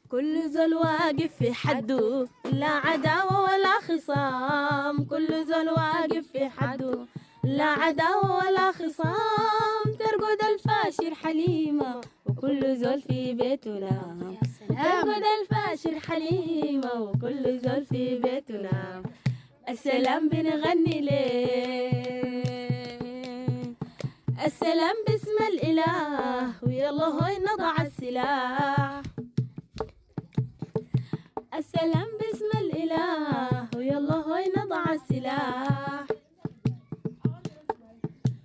كل زول واقف في حده، لا عداوة ولا خصام. كل زول واقف في حده، لا عداوة ولا خصام. ترقد الفاشر حليمة وكل زول في بيته نام. ترقد الفاشر حليمة وكل زول في بيته نام. السلام بنغني ليه، السلام باسم الإله، ويلا هوي نضع السلاح. السلام باسم الإله، ويلا هوي نضع السلاح.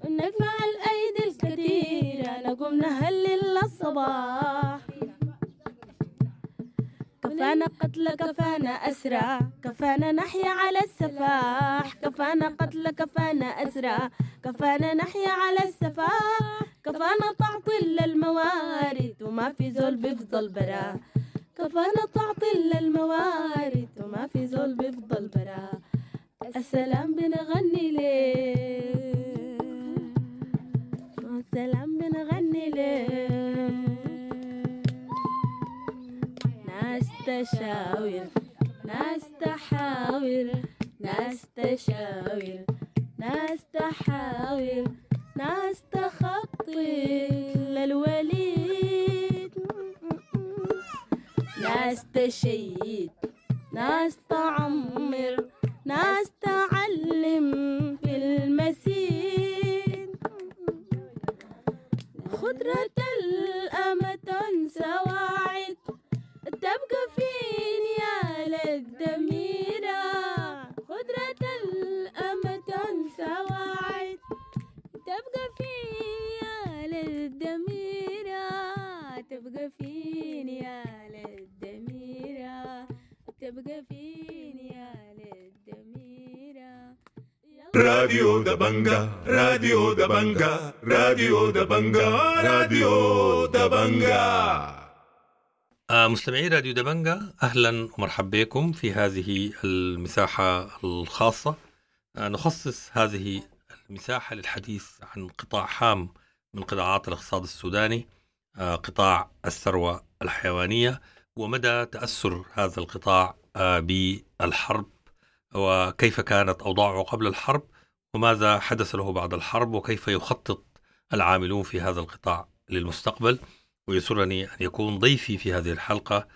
ونجمع الأيدي الكثيرة، نقوم نهلل للصباح. كفانا قتل، كفانا أسرى، كفانا نحيا على السفاح. كفانا قتل، كفانا أسرى، كفانا نحيا على السفاح. كفانا تعطيل للموارد وما في زول بيفضل برا. كفانا تعطيل للموارد وما في زول بيفضل برا. السلام بنغني ليه، السلام بنغني ليه. ناس تشاور، ناس تحاور، ناس تشاور، ناس تحاور، ناس تخطي للوليد. ناس تشيد، ناس تعمر، ناس تعلم في المسيد. خضرة الأمة سواعد، تبقى فين يا للدميرة. خضرة الأمة سواعد، تبقى فين يا للدميرة. تبقى فين يا للدميرة. تبقى فين يا للدميرة. راديو دبنجا، راديو دبنجا، راديو دبنجا، راديو دبنجا. مستمعي راديو دبنجا، أهلا ومرحبا بكم في هذه المساحة الخاصة. نخصص هذه المساحة للحديث عن قطاع هام من قطاعات الاقتصاد السوداني، قطاع الثروة الحيوانية، ومدى تأثر هذا القطاع بالحرب، وكيف كانت أوضاعه قبل الحرب، وماذا حدث له بعد الحرب، وكيف يخطط العاملون في هذا القطاع للمستقبل. ويسرني أن يكون ضيفي في هذه الحلقة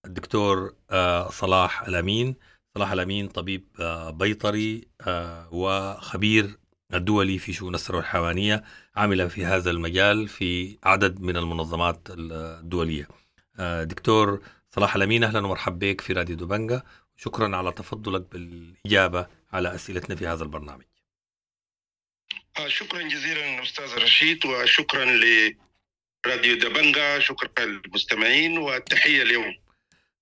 الدكتور صلاح الأمين. صلاح الأمين طبيب بيطري وخبير الدولي في شؤون الثروة الحيوانية، عمل في هذا المجال في عدد من المنظمات الدولية. دكتور صلاح الأمين، أهلا ومرحبا بك في راديو دبنجا، شكرا على تفضلك بالإجابة على أسئلتنا في هذا البرنامج. شكرا جزيلا أستاذ رشيد، وشكرا لراديو دبنجا، شكرا للمستمعين والتحية اليوم.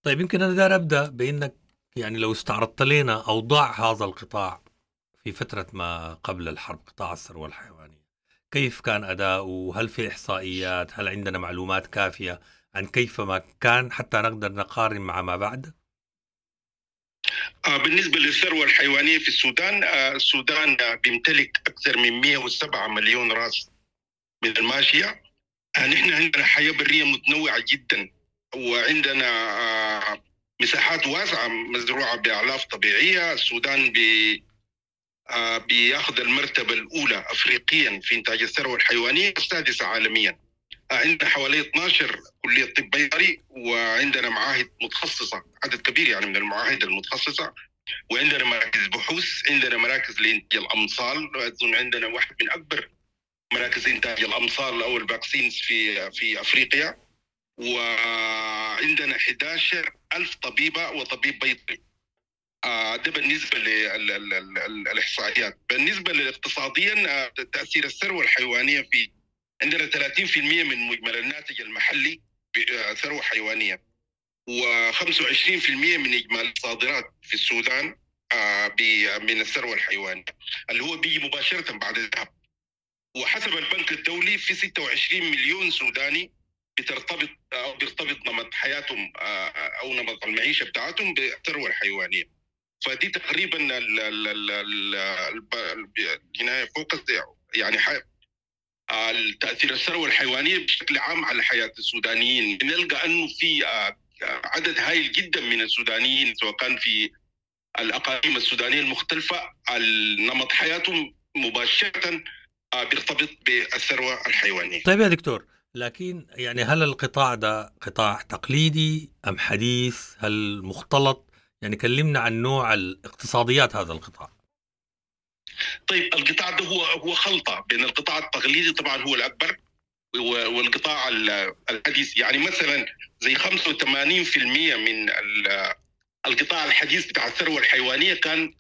طيب، يمكن أنا دار أبدأ بأنك يعني لو استعرضت لنا أوضاع هذا القطاع في فترة ما قبل الحرب، قطاع الثروة الحيوانية، كيف كان أداؤه؟ هل في إحصائيات؟ هل عندنا معلومات كافية عن كيف ما كان حتى نقدر نقارن مع ما بعد؟ بالنسبة للثروة الحيوانية في السودان، السودان بيمتلك أكثر من 107 مليون رأس من الماشية. نحن عندنا حياة برية متنوعة جدا، وعندنا مساحات واسعة مزروعة بأعلاف طبيعية. السودان بياخذ المرتبة الأولى أفريقيا في إنتاج الثروة الحيوانية، السادسة عالميا. عندنا حوالي 12 كلية طب بيطري، وعندنا معاهد متخصصة، عدد كبير يعني من المعاهد المتخصصة، وعندنا مراكز بحوث، عندنا مراكز لإنتاج الأمصال. أظن عندنا واحد من أكبر مراكز إنتاج الأمصال أو ال vaccines في أفريقيا. وعندنا 11,000 طبيبة وطبيب بيطري. ده بالنسبة للإحصائيات. بالنسبة للاقتصاديا، تأثير الثروة الحيوانية في عندنا 30% من مجمل الناتج المحلي ثروة حيوانية، و25% من إجمالي الصادرات في السودان من الثروة الحيوانية اللي هو بيجي مباشرة بعد الذهب. وحسب البنك الدولي في 26 مليون سوداني بترتبط أو بيرتبط نمط حياتهم أو نمط المعيشة بتاعتهم بالثروة الحيوانية. فدي تقريبا الجناية فوق، يعني تأثير الثروة الحيوانية بشكل عام على حياة السودانيين. بنلقى أنه في عدد هائل جدا من السودانيين سواء كان في الأقاليم السودانية المختلفة النمط حياتهم مباشرة بيرتبط بالثروة الحيوانية. طيب يا دكتور، لكن يعني هل القطاع ده قطاع تقليدي أم حديث؟ هل مختلط؟ يعني كلمنا عن نوع الاقتصاديات هذا القطاع. طيب القطاع ده هو خلطة بين القطاع التقليدي طبعا هو الأكبر والقطاع الحديث. يعني مثلا زي 85% من القطاع الحديث بتاع الثروة الحيوانية كان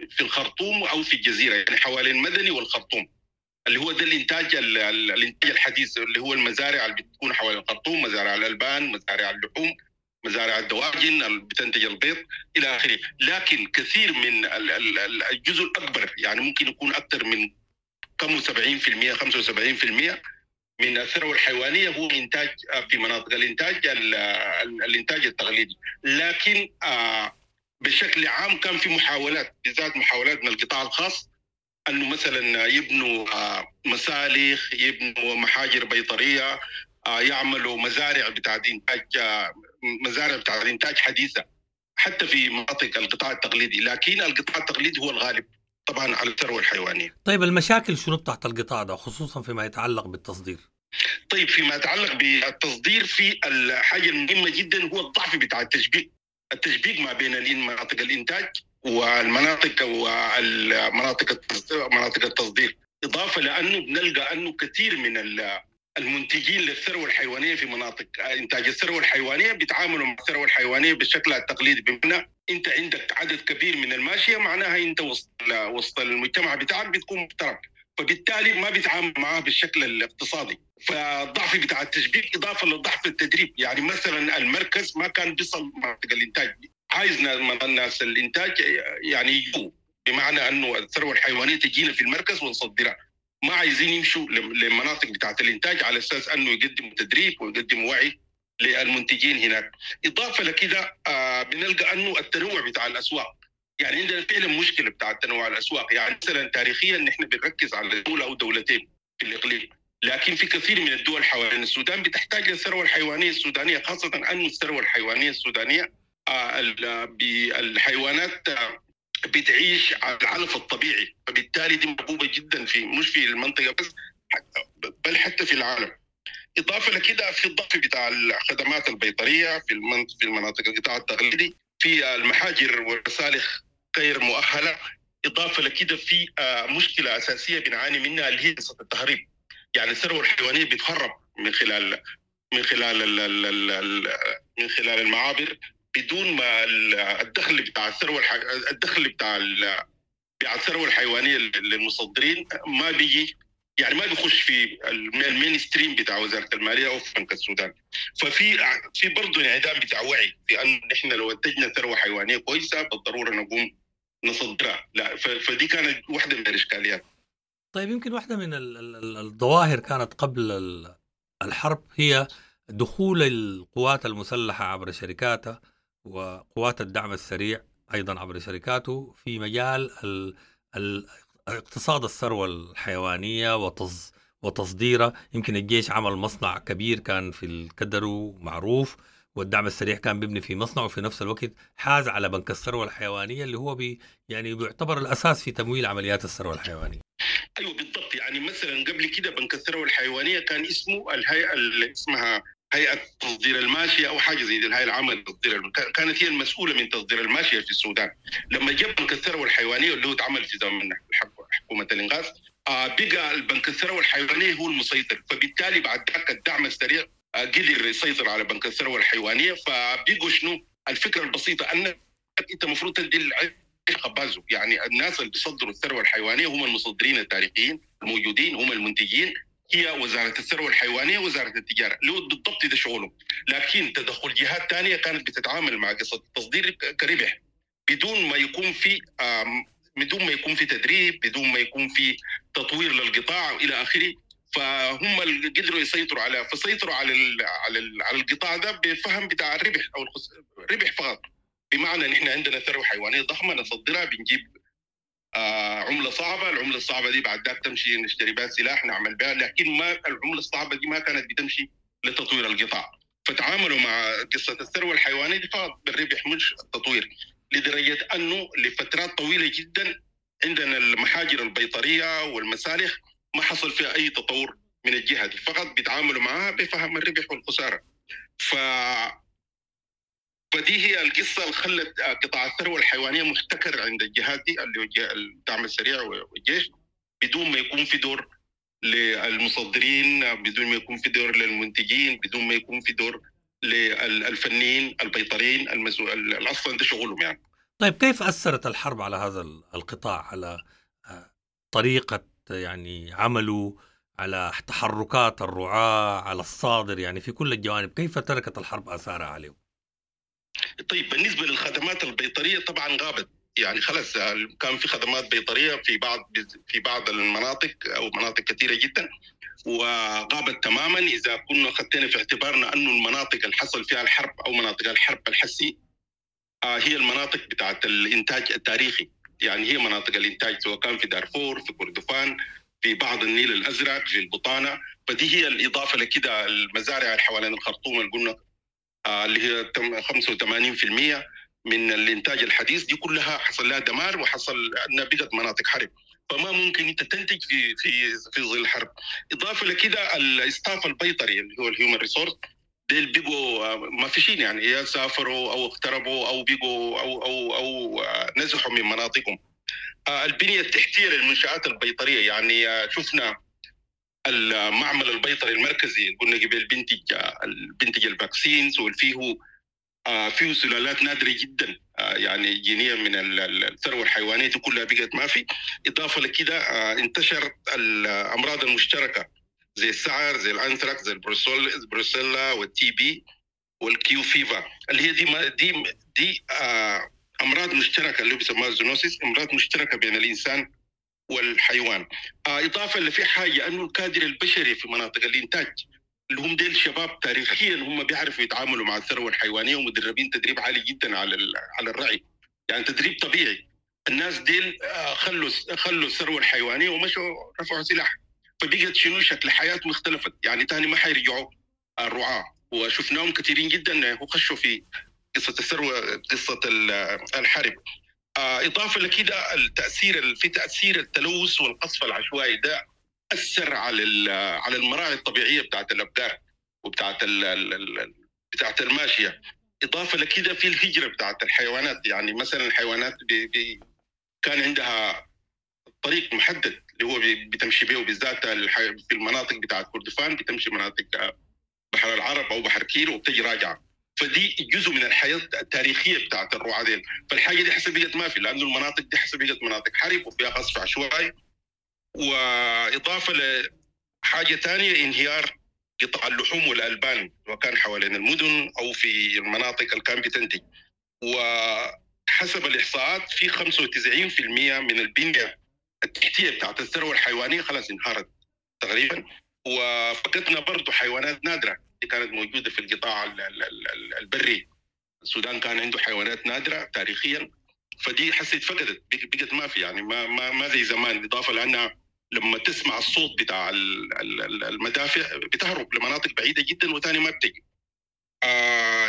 في الخرطوم أو في الجزيرة، يعني حوالين المدني والخرطوم، اللي هو ده الإنتاج الحديث اللي هو المزارع اللي بتكون حوالين الخرطوم، مزارع الألبان، مزارع اللحوم، مزارع الدواجن اللي بتنتج البيض إلى آخره. لكن كثير من الجزء الأكبر، يعني ممكن يكون أكثر من كم 70% 75% من الثروة الحيوانية هو إنتاج في مناطق الإنتاج الإنتاج التقليدي. لكن بشكل عام كان في محاولات، بالذات محاولات من القطاع الخاص، أنه مثلا يبنوا مسالخ، يبنوا محاجر بيطرية، يعملوا مزارع بتاعت إنتاج، مزارع بتاعت إنتاج حديثة حتى في مناطق القطاع التقليدي. لكن القطاع التقليدي هو الغالب طبعا على الثروة الحيوانية. طيب المشاكل شنو تحت القطاع ده خصوصا فيما يتعلق بالتصدير؟ طيب فيما يتعلق بالتصدير، في الحاجة المهمة جدا هو الضعف بتاع التشبيك، التشبيك ما بين مناطق الإنتاج والمناطق والمناطق مناطق التصدير. إضافة لأنه بنلقى أنه كثير من المنتجين للثروة الحيوانية في مناطق إنتاج الثروة الحيوانية بيتعاملوا مع الثروة الحيوانية بالشكل التقليدي، بمعنى أنت عندك عدد كبير من الماشية، معناها أنت وسط المجتمع بتاعك بتكون محترم، فبالتالي ما بيتعامل معاه بالشكل الاقتصادي. فالضعف بتاع التشبيك إضافة لضعف التدريب. يعني مثلا المركز ما كان بيصل مناطق الإنتاج، عايز الناس الإنتاج يعني يجوا، بمعنى أنه الثروة الحيوانية تجينا في المركز ونصدرها، ما عايزين يمشوا للمناطق بتاعة الإنتاج على أساس أنه يقدموا تدريب ويقدموا وعي للمنتجين هناك. إضافة لكده بنلقى أنه التنوع بتاع الأسواق، يعني عندنا فعلا مشكلة بتاع التنوع الأسواق. يعني مثلا تاريخيا نحن بنركز على دولة أو دولتين في الإقليم، لكن في كثير من الدول حوالين السودان بتحتاج للثروة الحيوانية السودانية، خاصة أنه الثروة الحيوانية السودانية بالحيوانات بتعيش على العلف الطبيعي، فبالتالي دي محبوبة جدا في مش في المنطقة بس بل حتى في العالم. إضافة لكده في الضعف بتاع الخدمات البيطرية في المناطق القطاع التقليدي، في المحاجر والمسالخ غير مؤهلة. إضافة لكده في مشكلة أساسية بنعاني منها اللي هي قصة التهريب. يعني الثروة الحيوانية بتهرب من خلال من خلال من خلال المعابر بدون ما الدخل بتاع الثروة الدخل بتاع الثروة الحيوانية للمصدرين ما بيجي، يعني ما بيخش في ال mainstream بتاع وزارة المالية او في بنك السودان. ففي برضه انعدام بتاع وعي في ان نحن لو انتجنا ثروة حيوانية كويسة بالضرورة نقوم نصدرها، لا. فدي كانت واحدة من الاشكاليات. طيب يمكن واحدة من الظواهر كانت قبل الحرب هي دخول القوات المسلحة عبر شركاتها وقوات الدعم السريع أيضا عبر شركاته في مجال اقتصاد الثروة الحيوانية وتصديرها. يمكن الجيش عمل مصنع كبير كان في الكدرو معروف، والدعم السريع كان بيبني في مصنع، وفي نفس الوقت حاز على بنك الثروة الحيوانية اللي هو يعني بيعتبر الأساس في تمويل عمليات الثروة الحيوانية. أيوة بالضبط. يعني مثلا قبل كده بنك الثروة الحيوانية كان اسمه الهيئة اللي اسمها هيئة تصدير الماشية أو حاجة زي دي، الهيئة العامة لتصدير، كانت هي المسؤولة من تصدير الماشية في السودان. لما جاب بنك الثروة الحيوانية اللي هو اتعمل في زمن حكومة الإنقاذ، بقى البنك الثروة الحيوانية هو المسيطر، فبالتالي بعد ذاك الدعم السريع قدر يسيطر على بنك الثروة الحيوانية. فبقوا شنو الفكرة البسيطة، أن انت المفروض تدي العيش خبازه. يعني الناس اللي بيصدروا الثروة الحيوانية هم المصدرين التاريخيين الموجودين، هم المنتجين، هي وزارة الثروة الحيوانية وزارة التجارة، لو بالضبط ده شغلهم. لكن تدخل جهات ثانية كانت بتتعامل مع قصة التصدير كربح بدون ما يكون في بدون ما يكون في تدريب، بدون ما يكون في تطوير للقطاع الى اخره. فهم اللي قدروا يسيطروا على فسيطروا على ال على ال على القطاع ده بفهم بتاع الربح او الربح فقط. بمعنى نحن عندنا ثروة حيوانية ضخمة نصدرها، بنجيب عمله صعبة، العملة الصعبة دي بعد ذاك تمشي نشتري بها سلاح نعمل بها، لكن ما العملة الصعبة دي ما كانت بتمشي لتطوير القطاع. فتعاملوا مع قصة الثروة الحيوانية دي فقط بالربح مش التطوير، لدرجة انه لفترات طويلة جدا عندنا المحاجر البيطريه والمسالخ ما حصل فيها اي تطور من الجهة دي، فقط بيتعاملوا معها بفهم الربح والخسارة. فدي هي القصة اللي خلت قطاع الثروة الحيوانية محتكر عند الجهات دي اللي هو الدعم السريع والجيش، بدون ما يكون في دور للمصدرين، بدون ما يكون في دور للمنتجين، بدون ما يكون في دور للفنيين البيطريين المسؤول اصلا ده شغلهم يعني. طيب كيف أثرت الحرب على هذا القطاع، على طريقة يعني عمله، على تحركات الرعاة، على الصادر، يعني في كل الجوانب كيف تركت الحرب آثارها عليهم؟ طيب بالنسبة للخدمات البيطرية طبعا غابت، يعني خلاص كان في خدمات بيطرية في بعض المناطق أو مناطق كثيرة جدا وغابت تماما. إذا كنا خدتنا في اعتبارنا أنه المناطق اللي حصل فيها الحرب أو مناطق الحرب الحسي هي المناطق بتاعت الإنتاج التاريخي، يعني هي مناطق الإنتاج سواء كان في دارفور، في كردفان، في بعض النيل الأزرق، في البطانة. فدي هي الإضافة لكده المزارع اللي حوالين الخرطوم اللي قلنا اللي هي 85% من الإنتاج الحديث، دي كلها حصل لها دمار وحصل أنها بقت مناطق حرب، فما ممكن أنت تنتج في في في ظل الحرب. إضافة لكده ال staff البيطري اللي هو ال human resource ديل بيبقوا ما فيشين، يعني يا سافروا أو اقتربوا أو بيقوا أو أو أو نزحوا من مناطقهم. البنية التحتية للمنشآت البيطرية، يعني شفنا المعمل البيطري المركزي قلنا قبل بنتج ال vaccines والفيه فيه سلالات نادرة جدا يعني جينية من الثروة الحيوانية دي كلها بقت ما في. إضافة لكده انتشرت الأمراض المشتركة زي السعر، زي الأنثراكس، زي البروسيلا وال TB وال Q fever، اللي هي دي دي دي أمراض مشتركة اللي بيسموها ال zoonosis، أمراض مشتركة بين الإنسان والحيوان. إضافة اللي في حاجة أنه الكادر البشري في مناطق الإنتاج اللي هم ديل شباب تاريخيا هم بيعرفوا يتعاملوا مع الثروة الحيوانية ومدربين تدريب عالي جدا على الرعي، يعني تدريب طبيعي. الناس ديل خلوا الثروة الحيوانية ومشوا رفعوا سلاح، فبقت شنو شكل حياتهم اختلفت، يعني تاني ما حيرجعوا الرعاة، وشفناهم كثيرين جدا وخشوا في قصة الثروة، قصة الحرب. إضافة لكده التأثير في تأثير التلوث والقصف العشوائي ده أثر على المراعي الطبيعية بتاعت الأبقار وبتاعت بتاعت الماشية. إضافة لكده في الهجرة بتاعت الحيوانات، يعني مثلا الحيوانات كان عندها طريق محدد اللي هو بتمشي به، وبالذات في المناطق بتاعت كردفان بتمشي مناطق بحر العرب أو بحر كير وبتجي راجعة، فدي جزء من الحياة التاريخية بتاعت الرعاة ديل. فالحاجة دي حسب بقت ما في، لأنه المناطق دي حسب بقت مناطق حرب وفيها قصف عشوائي. وإضافة لحاجة ثانية انهيار قطاع اللحوم والألبان وكان حوالين المدن أو في المناطق اللي كان بتنتج. وحسب الإحصاءات في 95% من البنية التحتية بتاعت الثروة الحيوانية خلاص انهارت تقريبا، وفقدنا برضو حيوانات نادرة اللي كانت موجودة في القطاع البري. السودان كان عنده حيوانات نادرة تاريخيا، فدي حسيت فقدت، بقت ما في، يعني ما زي زمان. إضافة لأنها لما تسمع الصوت بتاع المدافع بتهرب لمناطق بعيدة جدا وثاني ما بتجي.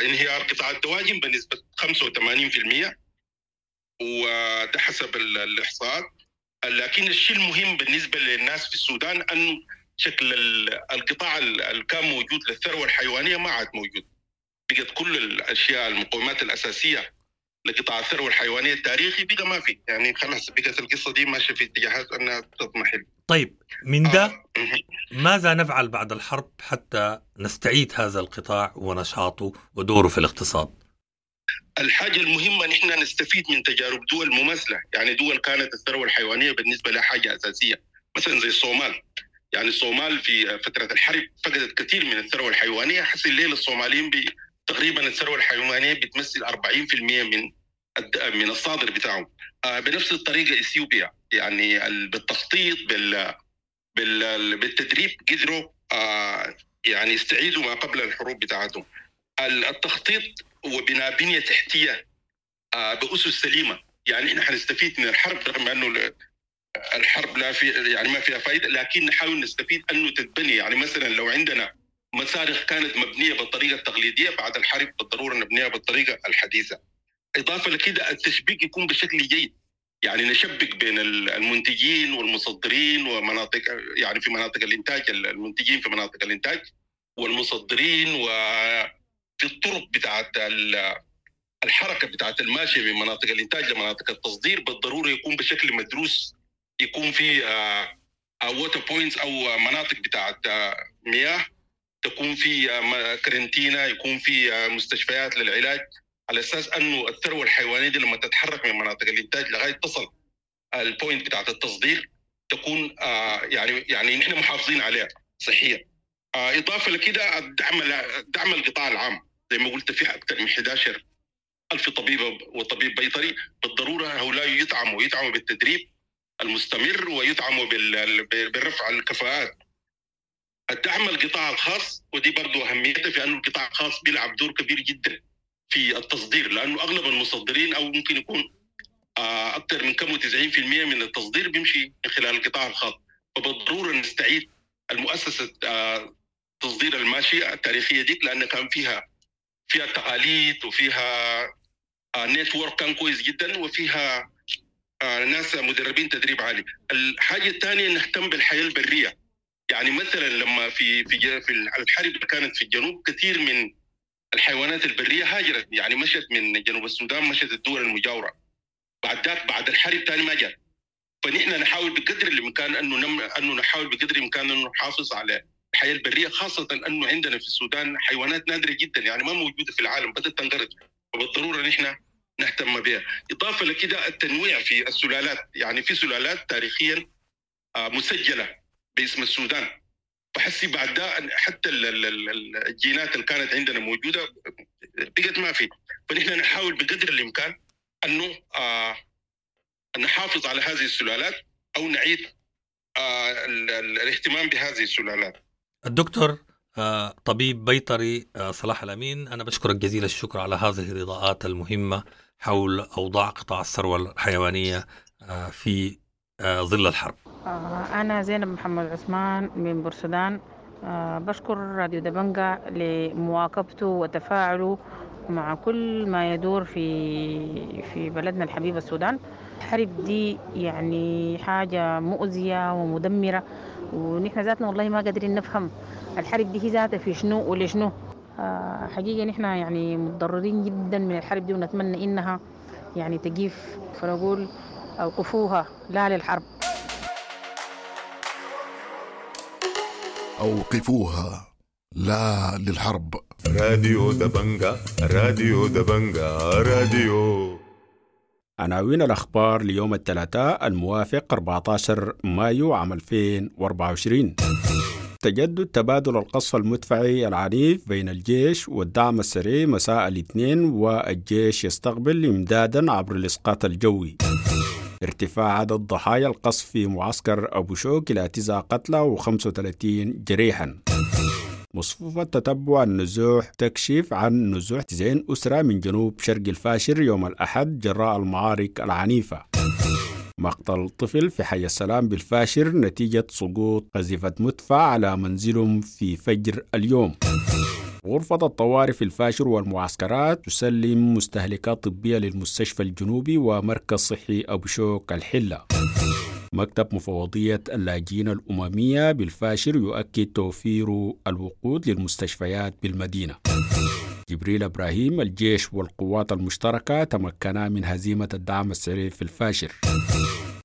انهيار قطاع الدواجن بنسبة 85%، وده حسب الإحصاءات. لكن الشيء المهم بالنسبة للناس في السودان أنه شكل القطاع اللي كان موجود للثروة الحيوانية ما عاد موجود، بقت كل الأشياء المقومات الأساسية لقطاع الثروة الحيوانية التاريخي بقى ما في، يعني خلاص بقت القصة دي ماشية في اتجاهات أنها تضمحل. طيب من ده ماذا نفعل بعد الحرب حتى نستعيد هذا القطاع ونشاطه ودوره في الاقتصاد؟ الحاجة المهمة نحن نستفيد من تجارب دول مماثلة، يعني دول كانت الثروة الحيوانية بالنسبة لها حاجة اساسية، مثلا زي الصومال. يعني الصومال في فترة الحرب فقدت كثير من الثروة الحيوانية، حس الليلة الصوماليين تقريبا الثروة الحيوانية بتمثل 40% من الصادر بتاعهم. بنفس الطريقة اثيوبيا، يعني بالتخطيط بالتدريب قدروا يعني يستعيدوا ما قبل الحروب بتاعتهم. التخطيط وبناء بنيه تحتيه باسس سليمة، يعني احنا حنستفيد من الحرب رغم انه الحرب لا في يعني ما فيها فائدة، لكن نحاول نستفيد انه تتبني. يعني مثلا لو عندنا مسارخ كانت مبنية بالطريقة التقليدية، بعد الحرب بالضرورة نبنيها بالطريقة الحديثة. اضافه لكده التشبيك يكون بشكل جيد، يعني نشبك بين المنتجين والمصدرين ومناطق، يعني في مناطق الانتاج، المنتجين في مناطق الانتاج والمصدرين، وفي الطرق بتاعت الحركة بتاعت الماشية من مناطق الانتاج لمناطق التصدير بالضرورة يكون بشكل مدروس، يكون في water points او مناطق بتاعت مياه، تكون في كرنتينا، يكون في مستشفيات للعلاج، على اساس انه الثروة الحيوانية دي لما تتحرك من مناطق الانتاج لغاية تصل ال point بتاعت التصدير تكون يعني نحن محافظين عليها صحيا. اضافه لكده الدعم القطاع العام، زي ما قلت في اكثر من 11,000 طبيب وطبيب بيطري، بالضرورة هؤلاء يدعموا بالتدريب المستمر ويدعموا بالرفع الكفاءات. الدعم القطاع الخاص، ودي برضو اهميتها في انه القطاع الخاص بيلعب دور كبير جدا في التصدير، لانه اغلب المصدرين او ممكن يكون اكثر من كم 90% من التصدير بيمشي من خلال القطاع الخاص، فبالضروره نستعيد المؤسسة تصدير الماشية التاريخية ديك، لان كان فيها تقاليد وفيها network كان كويس جدا، وفيها ناس مدربين تدريب عالي. الحاجة الثانية نهتم بالحياة البرية، يعني مثلا لما في في في الحرب اللي كانت في الجنوب كثير من الحيوانات البرية هاجرت، يعني مشت من جنوب السودان، مشت الدول المجاورة. بعد ذاك بعد الحرب ثاني ما جات. فنحن نحاول بقدر الامكان انه نحاول بقدر الامكان انه نحافظ على الحياة البرية، خاصة انه عندنا في السودان حيوانات نادرة جدا، يعني ما موجودة في العالم، بدات تنقرض، فبالضروره نحن نهتم بها. اضافه لكده التنويع في السلالات، يعني في سلالات تاريخيا مسجله باسم السودان، فحسي بعد ده حتى الجينات اللي كانت عندنا موجودة بقت ما في، فنحن نحاول بقدر الامكان انه نحافظ على هذه السلالات او نعيد الاهتمام بهذه السلالات. الدكتور طبيب بيطري صلاح الأمين، أنا بشكرك جزيل الشكر على هذه الإضاءات المهمة حول أوضاع قطاع الثروة الحيوانية في ظل الحرب. أنا زينب محمد عثمان من بورسودان. بشكر راديو دبنجة لمواكبته وتفاعله مع كل ما يدور في بلدنا الحبيب السودان. الحرب دي يعني حاجة مؤذية ومدمرة، ونحن ذاتنا والله ما قادرين نفهم الحرب دي هي ذاتها في شنو ولشنو. حقيقة نحن يعني متضررين جدا من الحرب دي، ونتمنى إنها يعني تقيف، فنقول أوقفوها، لا للحرب. أوقفوها، لا للحرب. راديو دبنجة، راديو دبنجة، راديو. عناوين الأخبار ليوم الثلاثاء الموافق 14 مايو عام 2024. تجدد تبادل القصف المدفعي العنيف بين الجيش والدعم السريع مساء الاثنين، والجيش يستقبل إمدادا عبر الإسقاط الجوي. ارتفاع عدد ضحايا القصف في معسكر أبو شوك إلى 9 قتلى و35 جريحا. مصفوفة تتبع النزوح تكشف عن نزوح 90 أسرة من جنوب شرق الفاشر يوم الأحد جراء المعارك العنيفة. مقتل طفل في حي السلام بالفاشر نتيجة سقوط قذيفة مدفع على منزلهم في فجر اليوم. غرفة الطوارئ في الفاشر والمعسكرات تسلم مستهلكات طبية للمستشفى الجنوبي ومركز صحي أبو شوك الحلة. مكتب مفوضية اللاجئين الأممية بالفاشر يؤكد توفير الوقود للمستشفيات بالمدينة. جبريل إبراهيم، الجيش والقوات المشتركة تمكنا من هزيمة الدعم السريع في الفاشر.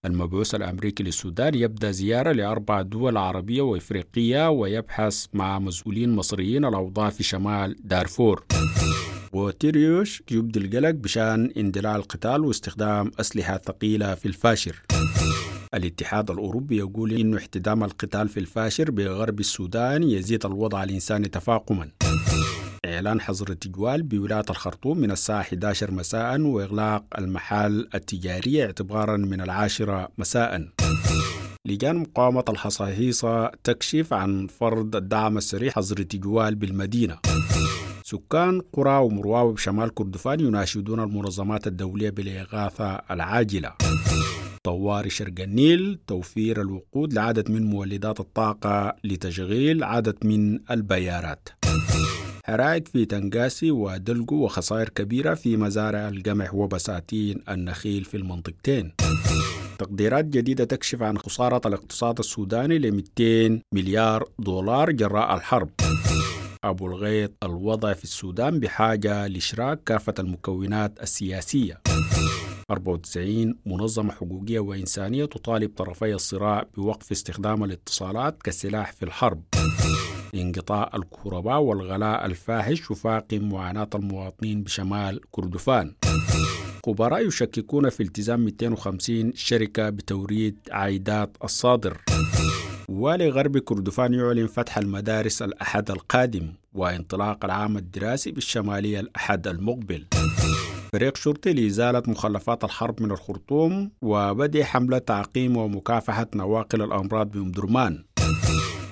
المبعوث الأمريكي للسودان يبدأ زيارة ل4 دول عربية وإفريقية ويبحث مع مسؤولين مصريين الأوضاع في شمال دارفور. غوتيريوش يبدي القلق بشأن اندلاع القتال واستخدام أسلحة ثقيلة في الفاشر. الاتحاد الأوروبي يقول إنه احتدام القتال في الفاشر بغرب السودان يزيد الوضع الإنساني تفاقما. إعلان حظر التجوال بولاية الخرطوم من الساعة 11 مساء وإغلاق المحال التجارية اعتبارا من 10 مساء. لجان مقاومة الحصاحيصة تكشف عن فرض الدعم السريع حظر التجوال بالمدينة. سكان قرى ومرواوي بشمال كردفان يناشدون المنظمات الدولية بالإغاثة العاجلة. طوارئ شرق النيل توفير الوقود لعدد من مولدات الطاقة لتشغيل عدد من البيارات. حرائق في تنقاسي ودلقو وخسائر كبيرة في مزارع القمح وبساتين النخيل في المنطقتين. تقديرات جديدة تكشف عن خسارة الاقتصاد السوداني ل 200 مليار دولار جراء الحرب. أبو الغيط الوضع في السودان بحاجة لإشراك كافة المكونات السياسية. 94 منظمة حقوقية وإنسانية تطالب طرفي الصراع بوقف استخدام الاتصالات كسلاح في الحرب. انقطاع الكهرباء والغلاء الفاحش يفاقم معاناة المواطنين بشمال كردفان. خبراء يشككون في التزام 250 شركة بتوريد عائدات الصادر. والي غرب كردفان يعلن فتح المدارس الأحد القادم وانطلاق العام الدراسي بالشمالية الأحد المقبل. فريق شرطي لإزالة مخلفات الحرب من الخرطوم وبدء حملة تعقيم ومكافحة نواقل الأمراض بأم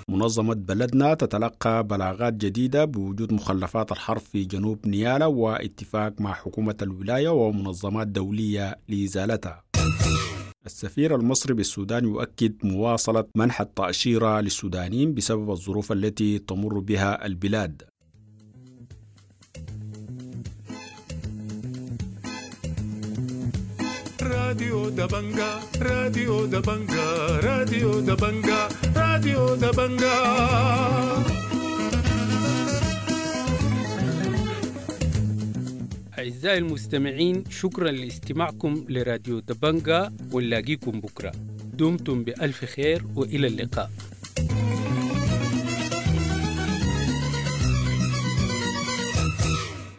منظمة بلدنا تتلقى بلاغات جديدة بوجود مخلفات الحرب في جنوب نيالا واتفاق مع حكومة الولاية ومنظمات دولية لإزالتها. السفير المصري بالسودان يؤكد مواصلة منح التأشيرة للسودانيين بسبب الظروف التي تمر بها البلاد. راديو دبنجا، راديو دبنجا، راديو دبنجا، راديو دبنجا. أعزائي المستمعين، شكرا لاستماعكم لراديو دبنجا، ونلاقيكم بكرة. دمتم بألف خير وإلى اللقاء.